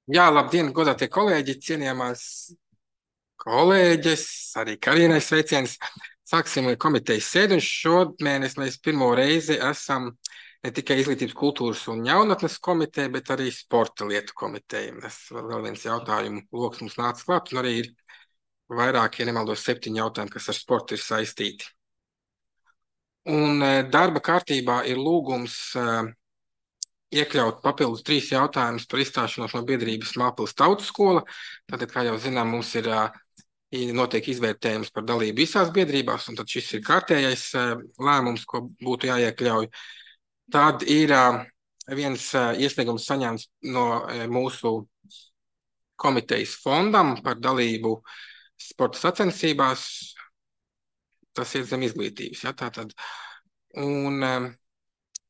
Jā, labdien, godātie kolēģi, cienījamās kolēģes, arī Karīnai sveiciens. Sāksim komitejas sēdi, un šomēnes mēs pirmo reizi esam ne tikai izglītības, kultūras un jaunatnes komiteja, bet arī sporta lietu komiteja. Tas vēl viens jautājumu loks mums nāca klāt, un arī ir vairāk, ja nemaldos, 7 jautājumi, kas ar sportu ir saistīti. Un darba kārtībā ir lūgums iekļaut papildus 3 jautājumus par izstāšanos no biedrības Māpils Tautas skola. Tātad, kā jau zinām, mums ir notiek izvērtējums par dalību visās biedrībās, un tad šis ir kārtējais lēmums, ko būtu jāiekļauj. Tad ir viens iesniegums saņemts no mūsu komitejas fondam par dalību sporta sacensībās. Tas ir zem izglītības, ja, tātad. Un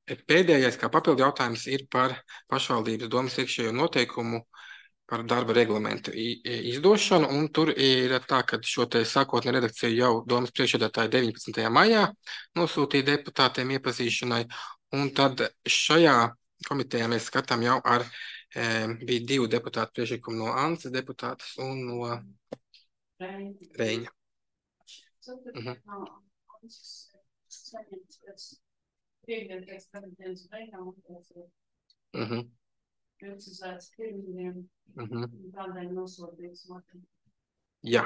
pēdējais, kā papildu jautājums, ir par pašvaldības domas iekšējo noteikumu par darba reglamentu izdošanu, un tur ir tā, ka šo te sākotnē redakciju jau domas priekšsēdētāji 19. maijā nosūtīja deputātiem iepazīšanai, un tad šajā komitejā mēs skatām jau bija 2 deputātu priekšlikumi no Ances deputātas un no Reiņa. Jā.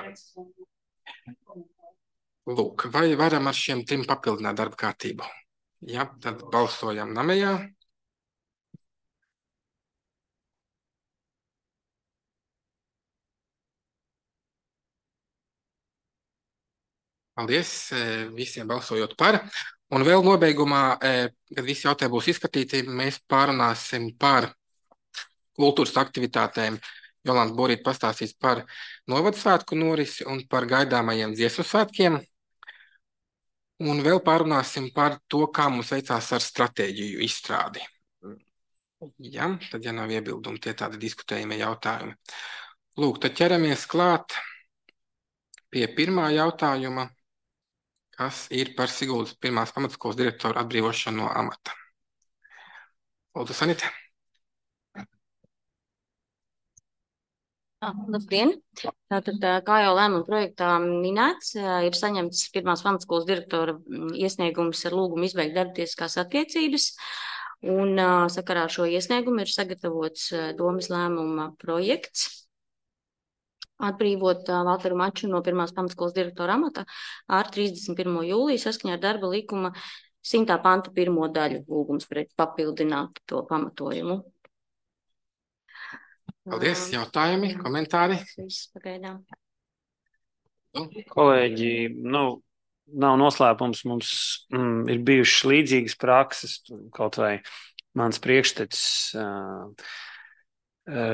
Lūk, vai varam ar šiem 3 papildināt darba kārtību? Jā, tad balsojam namējā. Paldies visiem balsojot par. Un vēl nobeigumā, kad visi jautājumi būs izskatīti, mēs pārunāsim par kultūras aktivitātēm. Jolanta Borīte pastāstīs par novadsvētku norisi un par gaidāmajiem dziesmu svētkiem. Un vēl pārunāsim par to, kā mums veicās ar stratēģiju izstrādi. Ja, tad, ja nav iebildumi, tie tādi diskutējumie jautājumi. Lūk, tad ķeramies klāt pie pirmā jautājuma, kas ir par Siguldas pirmās pamatskolas direktoru atbrīvošanu no amata. Lūdzu, Sanita. Labdien! Tātad, kā jau lēmuma projektā minēts, ir saņemts pirmās pamatskolas direktora iesniegums ar lūgumu izbeigt darbtiesiskās attiecības. Un sakarā ar šo iesniegumu ir sagatavots domas lēmuma projekts atbrīvot Valteru Maču no pirmās pamatskolas direktora amata ar 31. jūliju saskaņā ar darba likuma 100. panta 1. daļu lūgums papildināt to pamatojumu. Paldies, jautājumi, komentāri. Pagaidām. Kolēģi, nav noslēpums, mums ir bijušas līdzīgas prakses, kaut vai mans priekštecis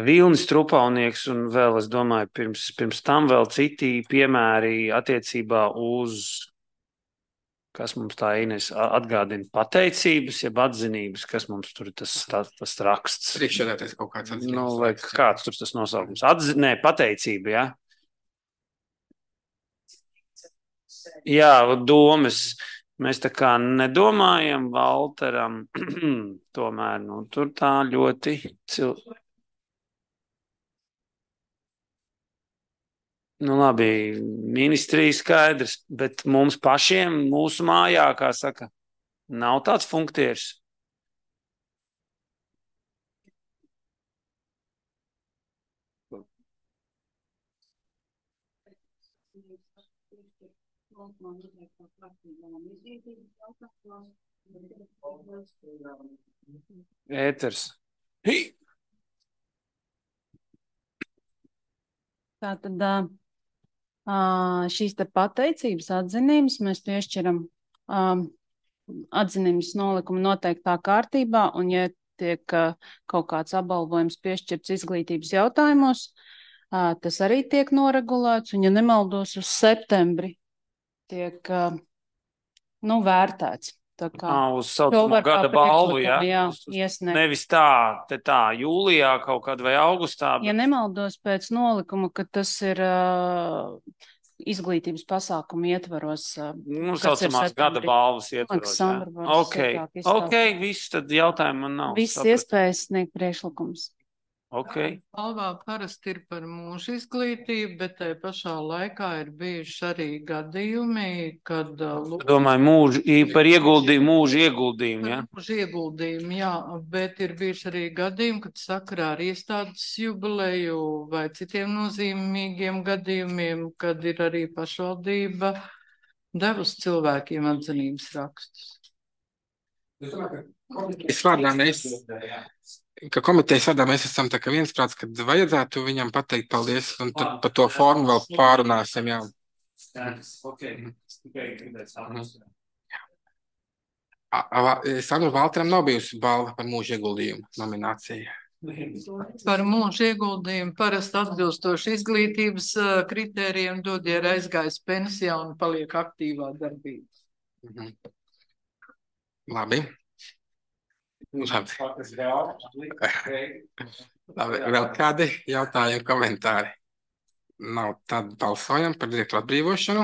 Vilnis Trupaunieks un vēl, es domāju, pirms tam vēl citi piemēri attiecībā uz, kas mums tā Ines atgādina, pateicības, jeb atzinības, kas mums tur ir tas raksts. Priekšsēdētājs kaut kāds atzinības. Vai kāds tur tas nosaukums? Pateicība, ja? Jā, domas. Mēs tā kā nedomājam Valteram, tomēr, tur tā ļoti labi, ministrija skaidrs, bet mums pašiem, mūsu mājā, kā saka, nav tāds funktieris. Ēters. Tātad šīs te pateicības atzinības mēs piešķiram atzinības nolikuma noteiktā kārtībā, un ja tiek kaut kāds apbalvojums piešķirts izglītības jautājumos, tas arī tiek noregulēts, un ja nemaldos uz septembri tiek vērtēts. Uz saucamo gada balvu, ja? Iesniegt. Nevis tā jūlijā kaut kad vai augustā. Ja nemaldos pēc nolikuma, ka tas ir izglītības pasākumu ietvaros. Saucamās gada balvas ietvaros. Ok, viss tad jautājumu man nav. Viss iespējas sniegt priekšlikums. Ok. Balvā parasti ir par mūža izglītību, bet tai pašā laikā ir bijuši arī gadījumi, kad Domāju, par mūža ieguldījumu, ja? Mūža ieguldījumu, jā, bet ir bijuši arī gadījumi, kad sakarā ar iestādes jubileju vai citiem nozīmīgiem gadījumiem, kad ir arī pašvaldība devusi cilvēkiem atzinības rakstus. Komitejas vārdā mēs esam tā kā viensprāts, kad vajadzētu viņam pateikt paldies, un tad par to formu vēl pārunāsim, jā. Sandra Valteram nav bijusi balva par mūža ieguldījumu nominācija. Par mūža ieguldījumu parasti atbilstoši izglītības kritērijiem dod, ja ir aizgājis pensijā un paliek aktīvā darbībā. Labi. Labi. Vēl kādi jautājumi, komentāri? Nav, tad balsojam par direktoru atbrīvošanu.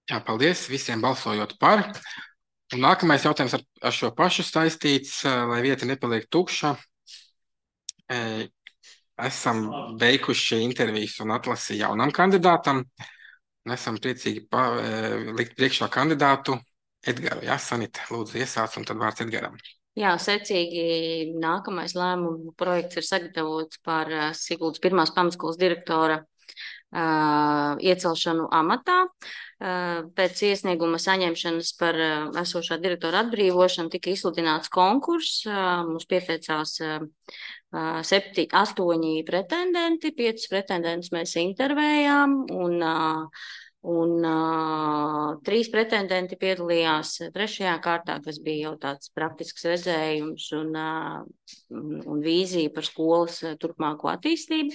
Jā, paldies visiem balsojot par. Un nākamais jautājums ar šo pašu saistīts, lai vieta nepaliek tukša. Esam veikuši intervijas un atlasi jaunam kandidātam. Un esam priecīgi likt priekšā kandidātu Edgaru. Jā, Sanita, lūdzu iesāc, un tad vārds Edgaram. Jā, secīgi nākamais lēmumu projekts ir sagatavots par Siguldas pirmās pamatskolas direktora iecelšanu amatā. Pēc iesnieguma saņemšanas par esošā direktora atbrīvošanu tika izsludināts konkurss. Mums pieteicās 8 pretendenti, 5 pretendentus mēs intervējām, un 3 pretendenti piedalījās 3. kārtā, kas bija jau tāds praktisks redzējums un vīzija par skolas turpmāko attīstību.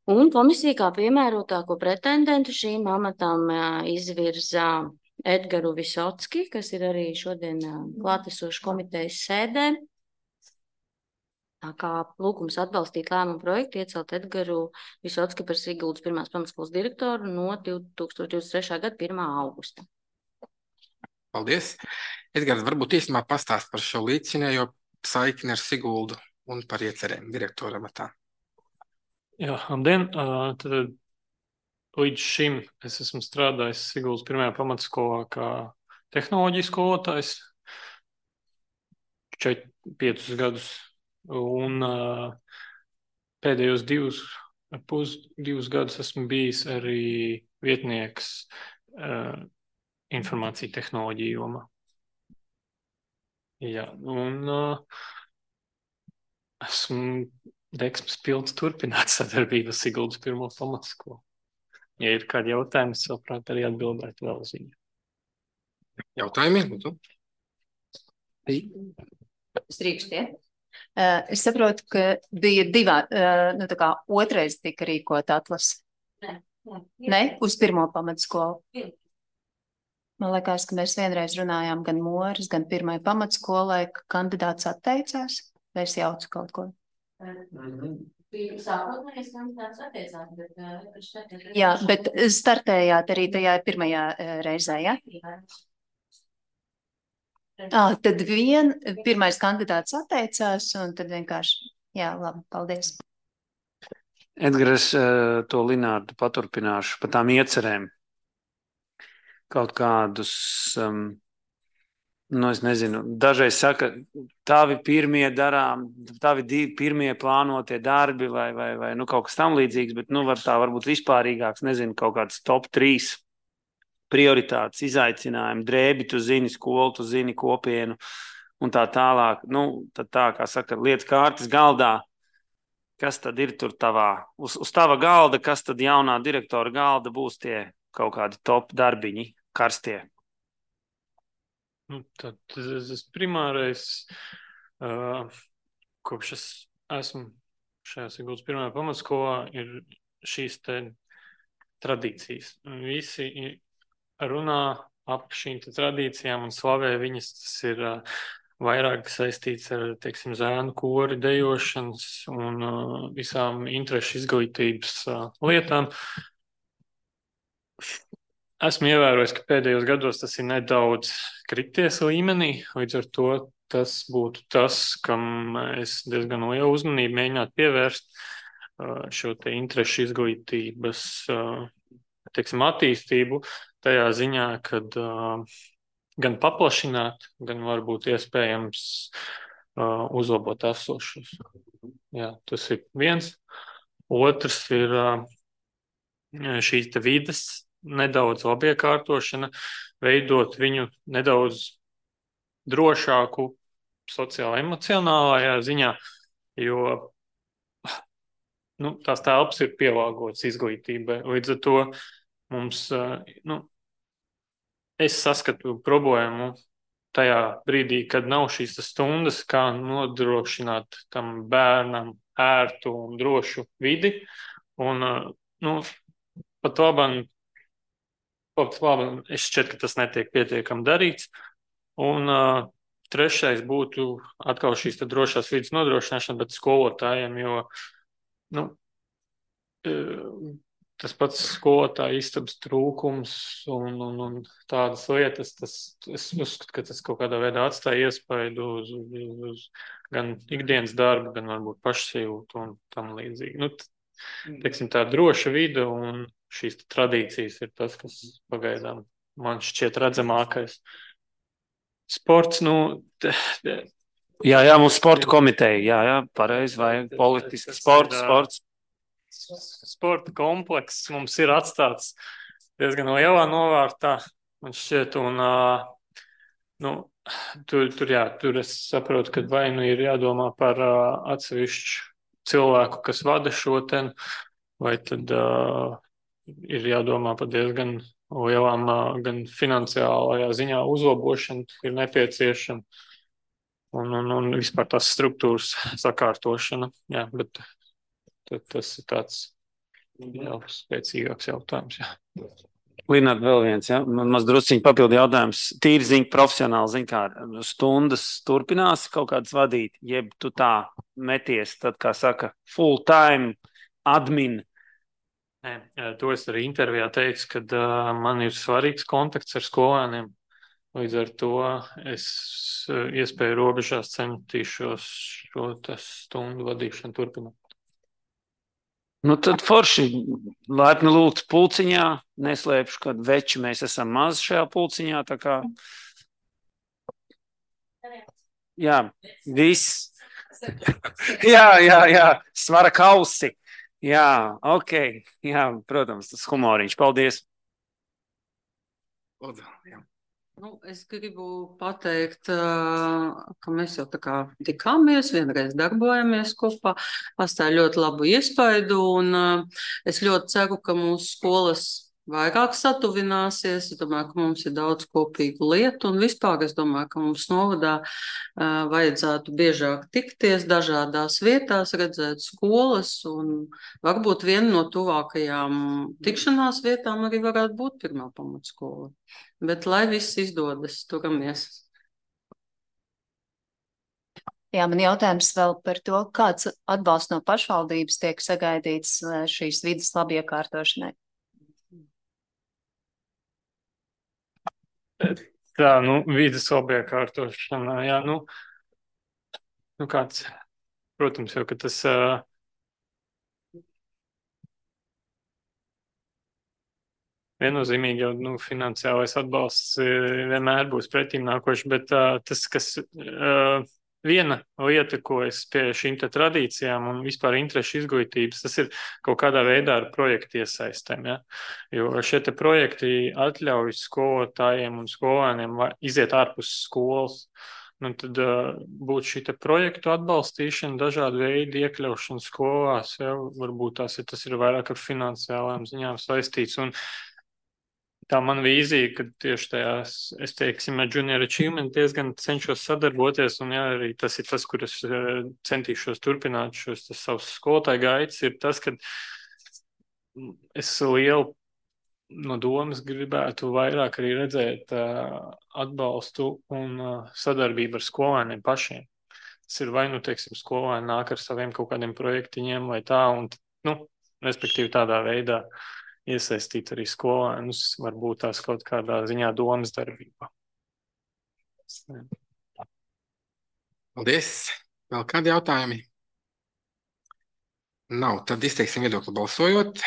Un komisija kā piemērotāko pretendentu šīm amatām izvirza Edgaru Visocki, kas ir arī šodien klātesošs komitejas sēdē. Tā kā lūgums atbalstīt lēmumu projektu iecelt Edgaru Visocki par Siguldas pirmās pamatskolas direktoru no 2023. gada 1. augusta. Paldies. Edgars, varbūt īstenībā pastāst par šo līdzinējo saikni ar Siguldu un par iecerēm direktora amatā. Jā, labdien. Tad līdz šim es esmu strādājis Siguldas pirmajā pamatskolā kā tehnoloģijas skolotājs 5 gadus. Un pēdējos 2 gadus esmu bijis arī vietnieks informācija tehnoloģiju jomā. Jā, un esmu deksmes pilns turpināt sadarbību ar Siguldas pirmo pamatskolu. Ja ir kādi jautājumi, es labprāt arī atbildētu vēl uz viņu. Jautājumi? Strīkšķiet. Es saprotu, ka bija otrais tika rīkot atlasi. Ne? Uz pirmo pamatskolu. Man liekas, ka mēs vienreiz runājām gan Moras, gan pirmai pamatskolai, ka kandidāts atteicās. Vai es jaucu kaut ko? Sākotnējais kandidāts atteicās, bet... Jā, bet startējāt arī tajā pirmajā reizē, ja? Tad pirmais kandidāts atteicās, un tad vienkārši, jā, labi, paldies. Edgars, to Linārdu paturpināšu par tām iecerēm. Kaut kādus... es nezinu, dažreiz saka, tavi pirmie plānotie darbi vai kaut kas tam līdzīgs, bet varbūt vispārīgāks, nezinu, kaut kāds top 3 prioritātes, izaicinājumi, drēbi, tu zini skolu, tu zini kopienu un tā tālāk. Tad tā, kā saka, lietas kārtas galdā, kas tad ir tur uz tava galda, kas tad jaunā direktora galda būs tie kaut kādi top darbiņi, karstie? Tad tas primārais, kopš es esmu šajā Siguldas pirmajā pamatskolā, ir šīs te tradīcijas. Visi runā ap šīm tradīcijām un slavē viņas. Tas ir vairāk saistīts ar, teiksim, zēnu kori, dejošanas un visām interešu izglītības lietām. esmu ievērojis, ka pēdējos gados tas ir nedaudz krities līmenī, līdz ar to tas būtu tas, kam es diezgan lielu uzmanību mēģinātu pievērst šo te interešu izglītības, teiksim, attīstību tajā ziņā, kad gan paplašināt, gan varbūt iespējams uzlabot esošos. Jā, tas ir viens. Otrs ir šīs te vides nedaudz labiekārtošana, veidot viņu nedaudz drošāku sociāli-emocionālajā ziņā, jo tās telpas ir pielāgotas izglītībai. Līdz ar to mums, es saskatu problēmu tajā brīdī, kad nav šīs stundas, kā nodrošināt tam bērnam ērtu un drošu vidi. Un, pat labam, es šķiet, ka tas netiek pietiekami darīts. Un trešais būtu atkal šīs drošās vidas nodrošināšana, bet skolotājiem, jo tas pats skolotāja istabas trūkums un tādas lietas, es uzskatu, ka tas kaut kādā veidā atstāja iespaidu uz gan ikdienas darbu, gan varbūt pašsajūtu un tam līdzīgi. Teiksim, tā droša vide un šīs tradīcijas ir tas, kas pagaidām man šķiet redzamākais. Sports, Jā, mums sporta komiteja, jā, pareizi, vai politiski sports. Sporta komplekss mums ir atstāts diezgan lielā novārtā, man šķiet, un tur es saprotu, ka vai ir jādomā par atsevišķu cilvēku, kas vada šo ten, vai tad ir jādomā par diezgan lielām gan finansiālajā ziņā uzlabošana ir nepieciešama un vispār tās struktūras sakārtošana. Jā, bet tas ir tāds jau spēcīgāks jautājums. Jā. Lināt, vēl viens, ja? Man maz drusciņi papildu jautājums. Tīri ziņa, profesionāli ziņa, kā stundas turpinās kaut kādas vadīt, jeb tu tā meties, tad, kā saka, full time admin. Nē, to es arī intervijā teicu, kad man ir svarīgs kontakts ar skolēniem. Līdz ar to es iespēju robežās centīšos šo stundu vadīšanu turpināt. Tad forši laipni lūgts pulciņā, neslēpšu, kad veči mēs esam maz šajā pulciņā, tā kā. Jā, viss. Jā, svara kausi. Jā, ok. Jā, protams, tas humoriņš. Paldies. Es gribu pateikt, ka mēs jau tā kā tikāmies, vienreiz darbojamies kopā, atstāja ļoti labu iespaidu, un es ļoti ceru, ka mūsu skolas vairāk satuvināsies. Es domāju, ka mums ir daudz kopīgu lietu, un vispār es domāju, ka mums novadā vajadzētu biežāk tikties dažādās vietās, redzēt skolas, un varbūt viena no tuvākajām tikšanās vietām arī varētu būt pirmā pamatskola. Bet lai viss izdodas, turamies. Jā, man jautājums vēl par to, kāds atbalsts no pašvaldības tiek sagaidīts šīs vidas labiekārtošanai. Tā, vidas labiekārtošana, jā, kāds, protams, jau, ka tas viennozīmīgi jau finansiālais atbalsts vienmēr būs pretīm nākoši, bet tas, kas viena lieta, ko es pie šīm te tradīcijām un vispār interešu izglītības, tas ir kaut kādā veidā ar projektu iesaistēm, ja? Jo šie te projekti atļauj skolotājiem un skolēniem iziet ārpus skolas. Tad būtu šī te projektu atbalstīšana, dažādu veidu iekļaušana skolās, ja? Varbūt tas ir vairāk ar finansiālām ziņām saistīts. Un tā man vīzija, ka tieši tajās, es teiksim, ar Junior Achievement diezgan cenšos sadarboties, un jā, arī tas ir tas, kur es centīšos turpināt šos savus skolotāju gaitas, ir tas, ka es lielu no domas gribētu vairāk arī redzēt atbalstu un sadarbību ar skolēniem pašiem. Tas ir vai, teiksim, skolēni nāk ar saviem kaut kādiem projektiņiem vai tā, un, respektīvi tādā veidā iesaistīt arī skolēnus, varbūt tās kaut kādā ziņā domas darbībā. Paldies. Vēl kādi jautājumi? Nav. Tad izteiksim viedokli balsojot.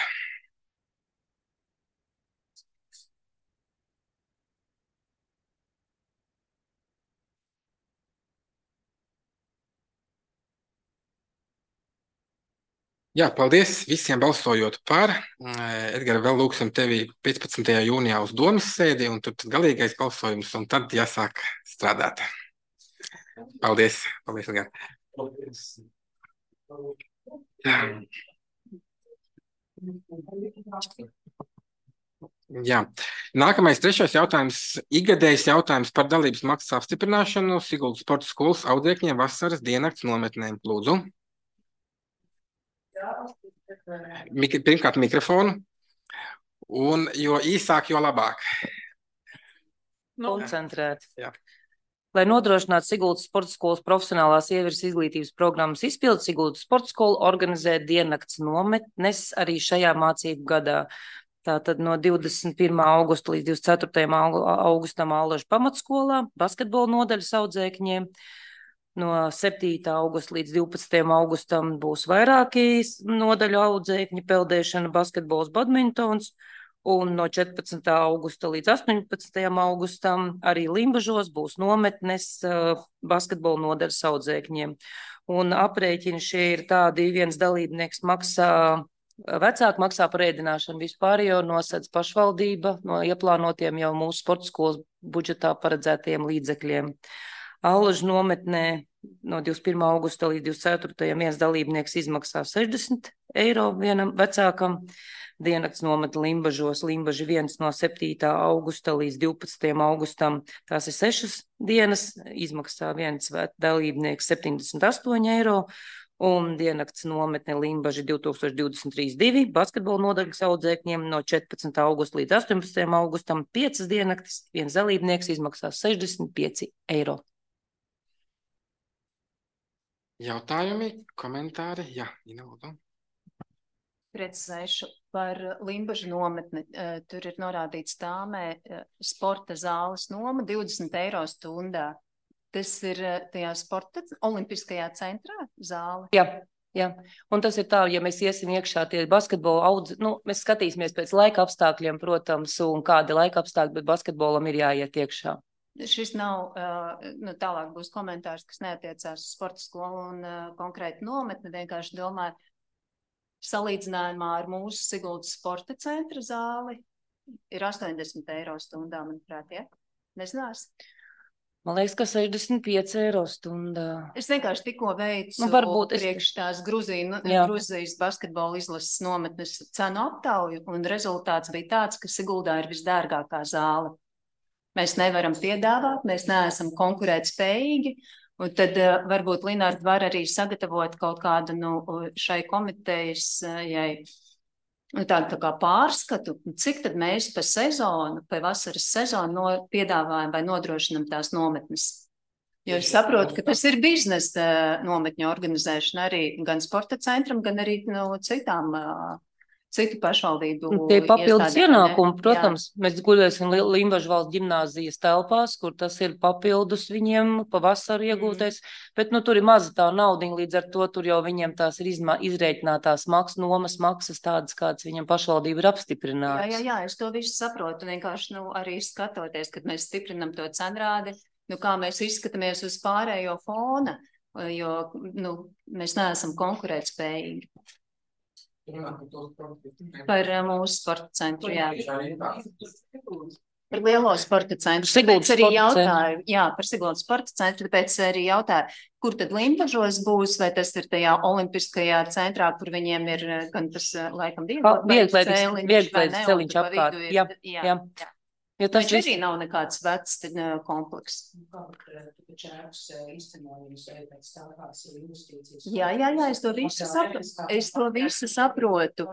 Jā, paldies visiem balsojot par. Edgar, vēl lūksim tevi 15. jūnijā uz domas sēdi, un tur tad galīgais balsojums, un tad jāsāk strādāt. Paldies. Paldies, Edgar. Jā. Nākamais, trešais jautājums. Ikgadējs jautājums par dalības maksas apstiprināšanu Siguldas sporta skolas audzēkņiem vasaras diennakts nometnēm. Lūdzu. Pirmkārt mikrofonu, un jo īsāk, jo labāk. Koncentrēt. Jā. Lai nodrošinātu Siguldas sporta skolas profesionālās ievirs izglītības programmas izpildi, Siguldas sporta skola organizē diennakts nometnes arī šajā mācību gadā. Tātad no 21. augusta līdz 24. augustam Allažu pamatskolā, basketbola nodaļas audzēkņiem. No 7. augusta līdz 12. augustam būs vairāki nodaļu audzēkņi, peldēšana, basketbols, badmintons, un no 14. augusta līdz 18. augustam arī Limbažos būs nometnes basketbola nodaļas audzēkņiem. Un aprēķini šie ir tādi, viens dalībnieks maksā, vecāki maksā par ēdināšanu vispār, jo nosedz pašvaldība no ieplānotiem jau mūsu sporta skolas budžetā paredzētiem līdzekļiem. Allažu nometnē no 21. augusta līdz 24. viens dalībnieks izmaksā 60 eiro vienam vecākam. Diennakts nometne Limbažos, Limbaži 1 no 7. augusta līdz 12. augustam. Tās ir 6 dienas, izmaksā viens dalībnieks 78 eiro. Un diennakts nometne Limbaži 2023-2 basketbola nodaļas audzēkņiem no 14. augusta līdz 18. augustam 5 diennaktis, viens dalībnieks izmaksās 65 eiro. Jautājumi, komentāri? Jā, Ina, lūdzu. Precizēšu par Limbažu nometni. Tur ir norādīts tāmē sporta zāles noma 20 eiro stundā. Tas ir tajā sporta olimpiskajā centrā zāle? Jā. Un tas ir tā, ja mēs iesim iekšā tie basketbola mēs skatīsimies pēc laika apstākļiem, protams, un kādi laika apstākļi, bet basketbolam ir jāiet iekšā. Šis nav, tālāk būs komentārs, kas neatiecās uz sporta skolu un konkrēti nometni, vienkārši domāju, salīdzinājumā ar mūsu Siguldas sporta centra zāli ir 80 eiro stundā, manuprāt, ja? Nezinās? Man liekas, ka 65 eiro stundā. Es vienkārši tikko veicu priekš tās Gruzijas basketbola izlases nometnes cenu aptauju, un rezultāts bija tāds, ka Siguldā ir visdārgākā zāle. Mēs nevaram piedāvāt, mēs neesam konkurētspējīgi, un tad varbūt Linārd var arī sagatavot kaut kādu šai komitejas tādu tā kā pārskatu, cik tad mēs pa sezonu, pa vasaras sezonu piedāvājam vai nodrošinam tās nometnes. Jo es saprotu, ka tas ir biznesa nometņu organizēšana arī gan sporta centram, gan arī no citu pašvaldību. Tie papildus ienākumi, protams, mēs guļēsim Limbažu valsts ģimnāzijas telpās, kur tas ir papildus viņiem pavasaru iegūtais, bet tur ir maza tā naudiņa, līdz ar to tur jau viņiem tās ir izrēķinātās nomas maksas tādas, kādas viņam pašvaldība ir apstiprinātas. Jā, es to visu saprotu, vienkārši arī skatoties, kad mēs stiprinam to cenrādi, kā mēs izskatāmies uz pārējo fona, jo mēs neesam konkurētspējīgi. Par mūsu sporta centru, jā. Par lielo sporta centru. Tāpēc arī jautāju, par Siguldas sporta centru, tāpēc arī jautāju, kur tad Limbažos būs, vai tas ir tajā olimpiskajā centrā, kur viņiem ir gan tas, laikam, vieglais celiņš apkārt. Jā. Jo tas arī nav nekāds vecs kompleks. Jā, es to visu saprotu,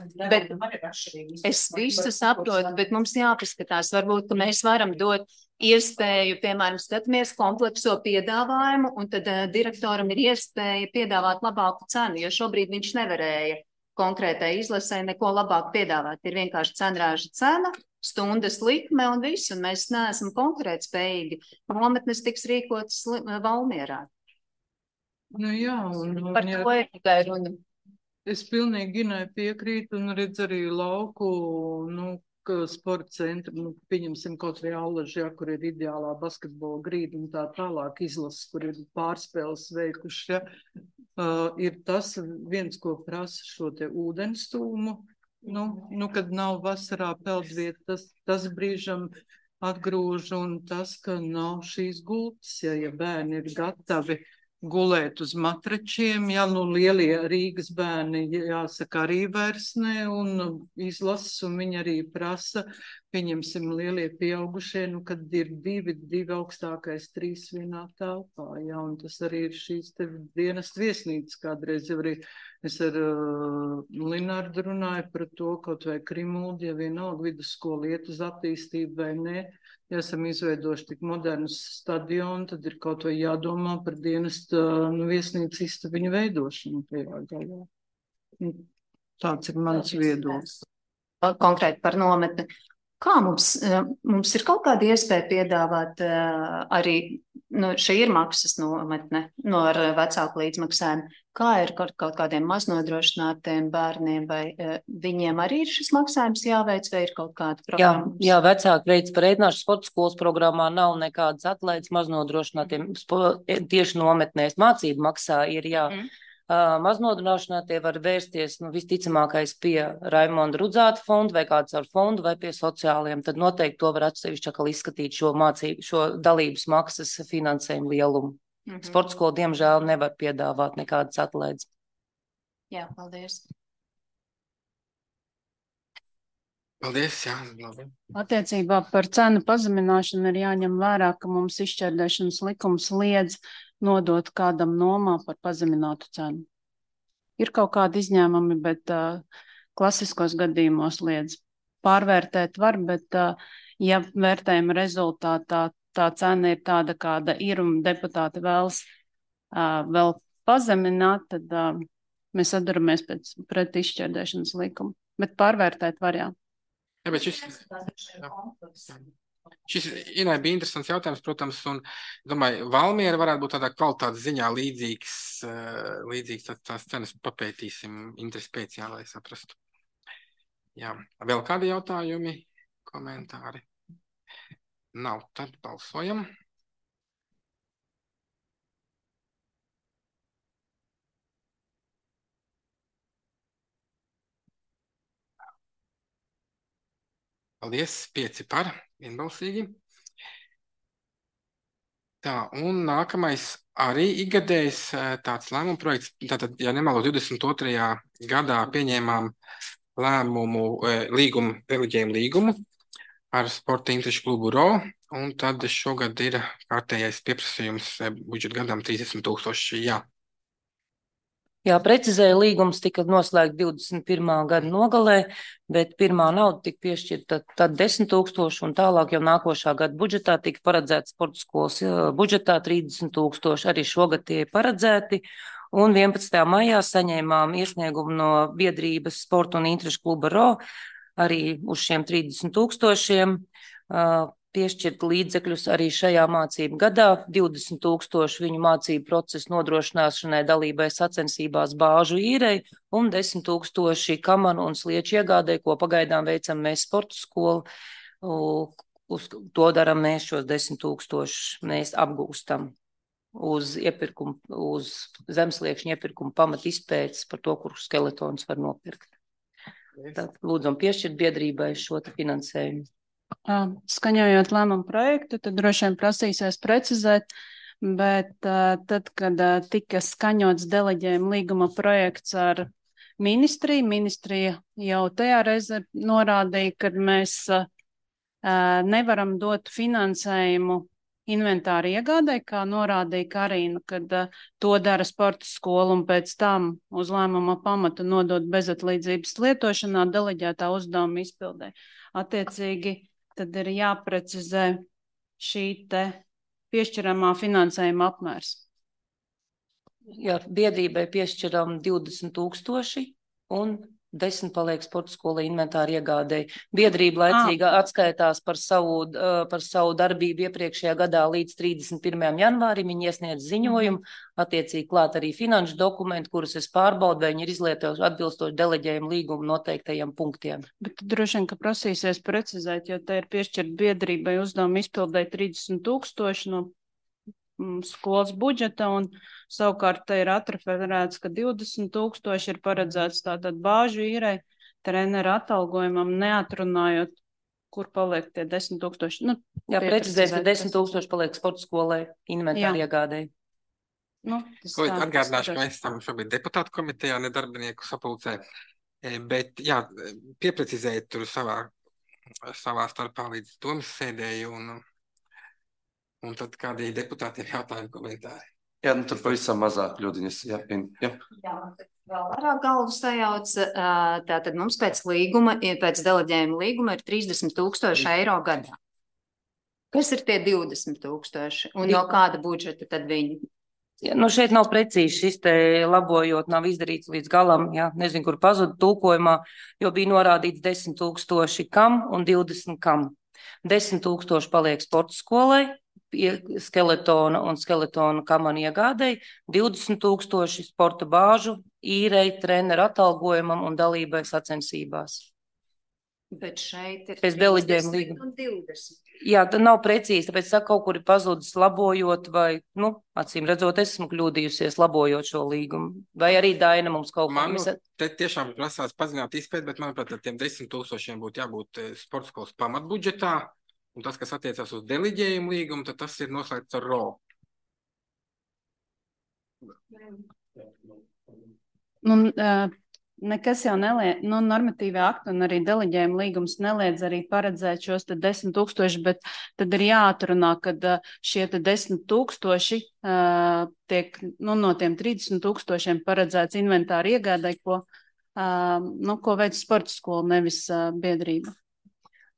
bet mums jāpaskatās, varbūt, ka mēs varam dot iespēju, piemēram, skatāmies komplekso piedāvājumu, un tad direktoram ir iespēja piedāvāt labāku cenu, jo šobrīd viņš nevarēja konkrētai izlasē neko labāk piedāvāt. Ir vienkārši cenrāža cena, stundas likme un viss, un mēs neesam konkurētspējīgi. Nometnes tiks rīkotas Valmierā. Nu jā, un Par ja to ir tikai runa. es pilnīgi Ginai piekrītu un redz arī lauku, ka sporta centru, pieņemsim kaut vai Allaži, ja, kur ir ideālā basketbola grīda un tā tālāk izlases, kur ir pārspēles veikuši, ja, ir tas viens, ko prasa šo te ūdenstūmu, kad nav vasarā peldvieta, tas brīžam atgrūž un tas, ka nav šīs gultas, ja bērni ir gatavi gulēt uz matračiem, lielie Rīgas bērni, jāsaka, arī vairs ne, un izlases, un viņi arī prasa, pieņemsim lielie pieaugušie, kad ir divi augstākais 3 vienā telpā, un tas arī ir šīs te dienas viesnīcas kādreiz jau arī. Es ar Linārdu runāju par to, kaut vai Krimuldi, ja vienalga vidusskola iet uz attīstību vai ne, ja esam izveidojuši tik modernus stadionu, tad ir kaut vai jādomā par dienestu viesnīcu istabiņu veidošanu tajā gaļā. Tāds ir mans viedoklis. Konkrēti par nometni. Kā mums ir kaut kāda iespēja piedāvāt arī, šī ir maksas nometne ar vecāku līdzmaksājumu, kā ir kaut kādiem maznodrošinātiem bērniem, vai viņiem arī ir šis maksājums jāveic, vai ir kaut kāda programma? Jā, vecāki veids par ēdināšanu sporta skolas programmā nav nekādas atlaides maznodrošinātiem, tieši nometnēs mācību maksā ir, jā. Maznodrošinātie var vērsties, visticamākais pie Raimonda Rudzāta fonda vai kāds ar fondu vai pie sociāliem, tad noteikti to var atsevišķi atkal izskatīt šo dalības maksas finansējumu lielumu. Sporta skola, diemžēl, nevar piedāvāt nekādas atlaides. Jā, paldies. Paldies, jā. Labi. Attiecībā par cenu pazemināšanu ir jāņem vērā, ka mums izšķērdēšanas likums liedz nodot kādam nomā par pazeminātu cenu. Ir kaut kādi izņēmumi, bet klasiskos gadījumos liedz. Pārvērtēt var, bet ja vērtējuma rezultātā tā cena ir tāda, kāda ir un deputāti vēlas vēl pazemināt, tad mēs saduramies pret izšķērdēšanas likumu. Bet pārvērtēt var, jā. Jā, bet šis Inai bija interesants jautājums, protams, un domāju, Valmiera varētu būt tādā kvalitātes ziņā līdzīgs tās cenas papētīsim interesi pēc, jā, lai saprastu. Jā, vēl kādi jautājumi, komentāri? Nav, tad balsojam. Paldies, 5 par, vienbalsīgi. Tā, un nākamais arī ikgadējs tāds lēmuma projekts. Tātad, ja nemaldos, 22. gadā pieņēmām deleģējumu līgumu ar Sporta interešu klubu RO, un tad šogad ir kārtējais pieprasījums budžeta gadam 30 000, jā. Jā, precizēja, līgums tika noslēgts 21. gada nogalē, bet pirmā nauda tika piešķirta tad 10 000, un tālāk jau nākošā gada budžetā tika paredzēts sporta skolas budžetā 30 000, arī šogad tie paredzēti, un 11. maijā saņēmām iesniegumu no biedrības Sporta un interešu kluba RO, arī uz šiem 30 000, piešķirt līdzekļus arī šajā mācību gadā, 20 000 viņu mācību procesu nodrošināšanai dalībai sacensībās bāžu īrei un 10 000 kamanu un slieču iegādē, ko pagaidām veicam mēs sporta skolu. Uz to daram mēs šos 10 000, mēs apgūstam uz zemsliekšņu iepirkumu pamat izpētes par to, kur skeletons var nopirkt. Tad lūdzam piešķirt biedrībai šo finansējumu. Skaņojot lēmumu projektu, tad droši vien prasīsies precizēt, bet tad, kad tika skaņots deleģējuma līguma projekts ar ministriju, ministrija jau tajā reize norādīja, ka mēs nevaram dot finansējumu inventāru iegādai, kā norādīja Karina, kad to dara sporta skola un pēc tam uz lēmuma pamata nodot bezatlīdzības lietošanā deleģētā uzdevuma izpildē. Attiecīgi, tad ir jāprecizē šī te piešķiramā finansējuma apmērs. Jā, biedrībai piešķiram 20 000 un 10 paliek sporta skola inventāra iegādēji. Biedrība laicīgi atskaitās par savu darbību iepriekšējā gadā līdz 31. janvārim. Viņi iesniedz ziņojumu, attiecīgi klāt arī finanšu dokumenti, kurus es pārbaudu, vai viņi ir izlietojuši atbilstoši deleģējumu līgumu noteiktajiem punktiem. Bet droši vien, ka prasīsies precizēt, jo te ir piešķirt biedrībai uzdevumu izpildēt 30,000 no skolas budžeta, un savukārt te ir atreferēts, ka 20,000 ir paredzēts tātad bāžu īrei, treneru atalgojumam, neatrunājot, kur paliek tie 10,000. Nu, jā, precizēt, ka 10,000 paliek sporta skolai inventāri iegādēji. Nu, atgādināšu, ka mēs esam šobrīd deputātu komitejā, ne darbinieku sapulcē, bet jā, pieprecizējiet tur savā starpā līdz domas sēdēju, un tad kādī deputātiem jautājumi komentāri. Jā, tur pavisam mazāk kļūdiņas. Jā, vēl vairāk galvu sajauc. Tātad mums pēc deleģējuma līguma ir 30,000 eiro gadā. Kas ir tie 20,000 un no kāda budžeta tad viņi? Ja, šeit nav precīzi šis te labojot, nav izdarīts līdz galam, jā, nezinu, kur pazuda tulkojumā, jo bija norādīts 10,000 kam un 20 kam. 10,000 paliek sporta skolai, skeletona un skeletona kamanu iegādēji, 20,000 sporta bāžu, īrei, treneru atalgojumam un dalībai sacensībās. Bet šeit ir pēc deleģējuma līguma. 20. Jā, tad nav precīzi, tāpēc saka, kaut kur ir pazudis labojot vai, acīm redzot, esmu kļūdījusies labojot šo līgumu. Vai arī Daina mums kaut ko... Te tiešām prasās pazināt izpēt, bet manuprāt, ar tiem 10,000 būtu jābūt sporta skolas pamatbudžetā. Un tas, kas attiecās uz deleģējumu līgumu, tad tas ir noslēgts ar RO. Nekas jau neliedz, normatīvie akti un arī deleģējuma līgums neliedz arī paredzēt šos 10,000, bet tad ir jāatrunā, kad šie 10,000 tiek, no tiem 30,000 paredzēts inventāri iegādai, ko veic sporta skola, nevis biedrība.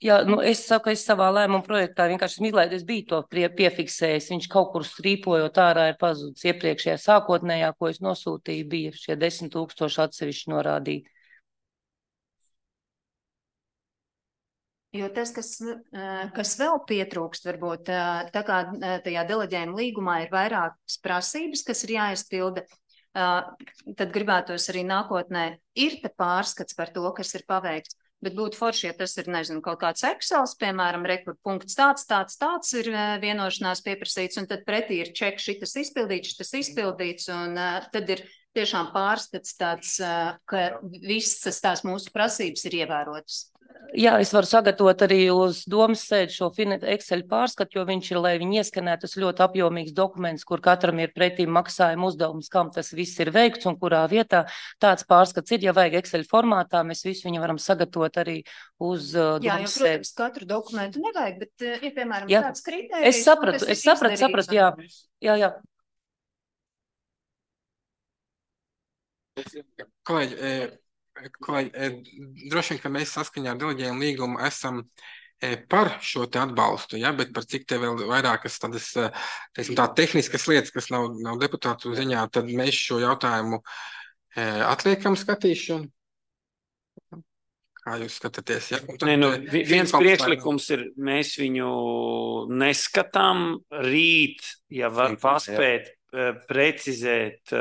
Jā, es saku, es savā lēmuma projektā vienkārši izlaidu, es biju to piefiksējis, viņš kaut kur strīpojot ārā ir pazudis iepriekšējā sākotnējā, ko es nosūtīju, bija šie 10,000 atsevišķi norādīti. Jo tas, kas vēl pietrūkst, varbūt tā kā tajā deleģējuma līgumā ir vairākas prasības, kas ir jāizpilda, tad gribētos arī nākotnē ir te pārskats par to, kas ir paveikts. Bet būtu forši, ja tas ir, nezinu, kaut kāds Excels, piemēram, rekur punkts tāds ir vienošanās pieprasīts, un tad pretī ir ček šitas izpildīts, un tad ir tiešām pārskats tāds, ka visas tās mūsu prasības ir ievērotas. Jā, es varu sagatavot arī uz domas sēdi šo Excel pārskatu, jo viņš ir, lai viņi ieskanētu, tas ļoti apjomīgs dokuments, kur katram ir pretī maksājuma uzdevums, kam tas viss ir veikts un kurā vietā. Tāds pārskats ir, ja vajag Excel formātā, mēs visu viņu varam sagatavot arī uz domas sēdi. Jā, jo, protams, katru dokumentu nevajag, bet, ja, piemēram, tāds kritērijs... Es sapratu, jā. Droši vien, ka mēs saskaņā ar deleģējumu līgumu esam par šo te atbalstu, ja? Bet par cik te vēl vairākas tādas, teiksim, tā tehniskas lietas, kas nav deputātu ziņā, tad mēs šo jautājumu atliekam skatīšanu. Kā jūs skatāties? Ja? Viens priekšlikums ir, mēs viņu neskatām rīt, ja var paspēt precizēt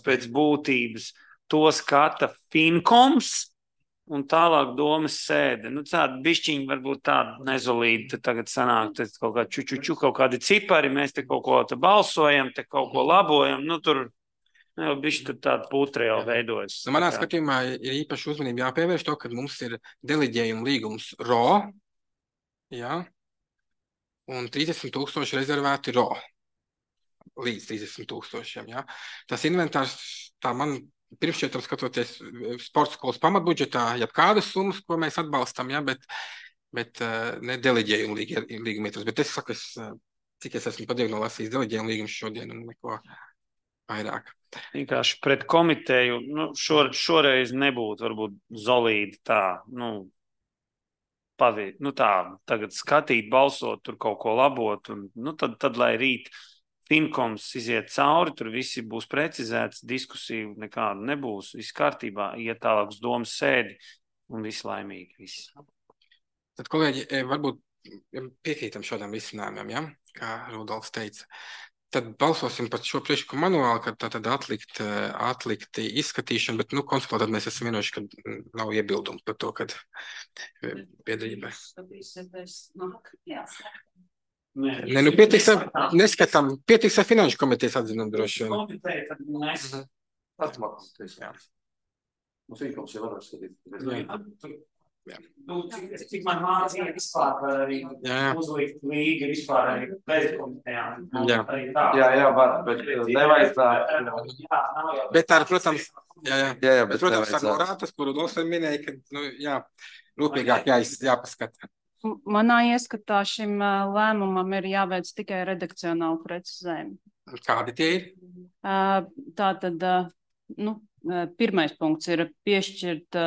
pēc būtības. To skata Finkoms un tālāk domas sēde. Tāda bišķiņa varbūt tāda nezolīta tagad sanāk, kaut kā kaut kādi cipari, mēs te kaut ko te balsojam, te kaut ko labojam, tur bišķi tur tāda putra jau veidojas. Manā skatījumā ir īpaši uzmanība jāpievērš to, ka mums ir deleģējuma līgums RO, jā, un 30,000 rezervēti RO, līdz 30,000, jā. Tas inventārs, tā man pirmšķietam skatoties sporta skolas pamatbudžetā, kādas summas, ko mēs atbalstam, ja, bet ne deleģējumu līguma ietvaros. Bet es saku, cik es esmu padiegno lasījis deleģējumu līgumu šodien un neko vairāk. Vienkārši pret komiteju, šoreiz nebūtu varbūt zolīdi tā, tagad skatīt, balsot, tur kaut ko labot, un tad lai rīt Finkoms iziet cauri, tur visi būs precizēts, diskusiju nekāda nebūs, viss kārtībā, iet tālāk uz domas sēdi un visi laimīgi. Visi. Tad, kolēģi, varbūt piekrītam šādām risinājumiem, ja? Kā Rudolfs teica. Tad balsosim par šo priekšlikumu manuāli, ka tad atlikt izskatīšanu, bet, konsultēt, tad mēs esam vienojuši, ka nav iebildumu par to, kad biedrība. Nē, pietiks ar finanšu komitejas atzinumu droši vien. Mums Finkoms jau var skatīt. Cik man mācīja vispār var arī uzlikt līga vispār arī bez komitejām. Jā, var, bet nevajadzētu. Bet ar, protams, bet protams, ar norātas, kuru Rudolfs minēja, ka, rūpīgāk jāpaskata. Manā ieskatā šim lēmumam ir jāveic tikai redakcionāli precizējumi. Kādi tie ir? Tātad, pirmais punkts ir piešķirt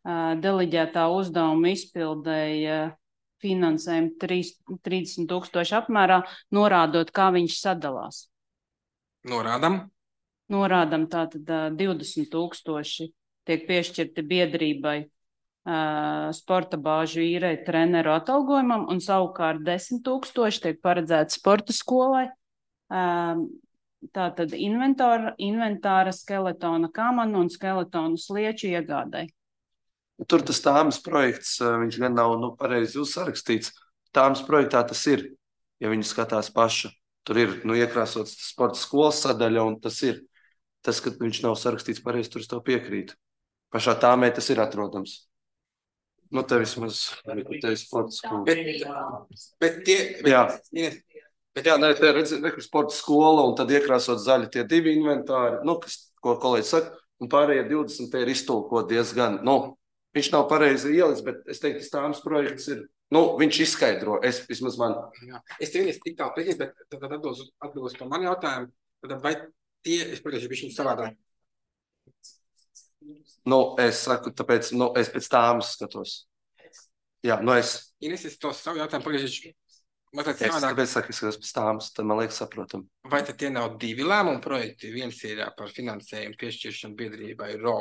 deleģētā uzdevuma izpildēja finansējumu 30,000 apmērā, norādot, kā viņš sadalās. Norādam, tātad 20,000 tiek piešķirti biedrībai sporta bāžu īrei treneru atalgojumam, un savukārt 10,000 tiek paredzēti sporta skolai. Tātad inventāra, skeletona kamanu un skeletonu slieču iegādai. Tur tas tāmas projekts, viņš gan nav pareizi uzsarakstīts. Tāmas projektā tas ir, ja viņi skatās paša. Tur ir iekrāsots sporta skolas sadaļa, un tas ir. Tas, ka viņš nav sarakstīts pareizi, tur es to piekrītu. Pašā tāmē tas ir atrodams. Te vismaz sporta skola. Bet tie... Te redz, sporta skola, un tad iekrāsot zaļi tie divi inventāri, ko kolēģis saka, un pārējie 20 te ir iztulkot diezgan, viņš nav pareizi ielis, bet es teiktu, tas tāms projekts ir, viņš izskaidro, vismaz man. Es tev tik tālu piekrītu, bet tad atbilst par mani jautājumu, tad vai tie, es pagājuši bišķiņu savādāk? Es saku, tāpēc, es pēc tāmas skatos. Jā, Ines, es to savu jautājumu pagājuši mazliet savādāk. savādāk. Es skatos pēc tāmas, tad man liekas saprotam. Vai tad tie nav divi lēmumu projekti? Viens ir par finansējumu piešķiršanu biedrībai RO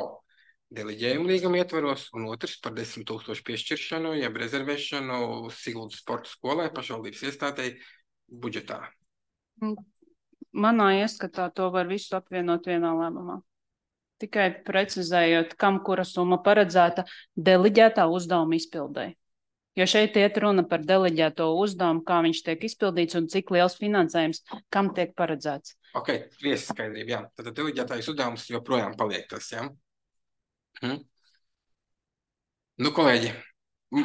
deleģējumu līguma ietvaros, un otrs par 10,000 piešķiršanu, jeb rezervēšanu Siguldas sporta skolai pašvaldības iestādei budžetā. Manā ieskatā to var visu apvienot vienā lēmumā. Tikai precizējot, kam kura summa paredzēta deleģētā uzdevuma izpildēji. Jo šeit iet runa par deleģēto uzdevumu, kā viņš tiek izpildīts un cik liels finansējums, kam tiek paredzēts. Ok, viesa skaidrība, jā. Tad deleģētājs uzdevums joprojām paliek tas, jā? Kolēģi,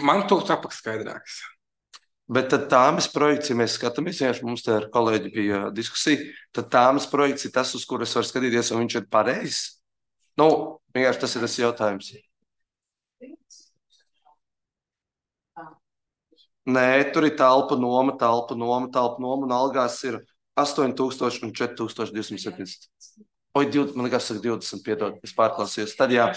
man to tapak skaidrāks. Bet tad tāmas projekts, ja mēs skatāmies, mums te ar kolēģi bija diskusija, tad tāmas projekts ir tas, uz kur es varu skatīties, un viņš ir pareizs. Vienkārši tas ir tas jautājums. Nē, tur ir telpa noma, un algās ir 8,000 un 4,270. Man liekas, saka 20, piedod, es pārklausījos. Tad jā.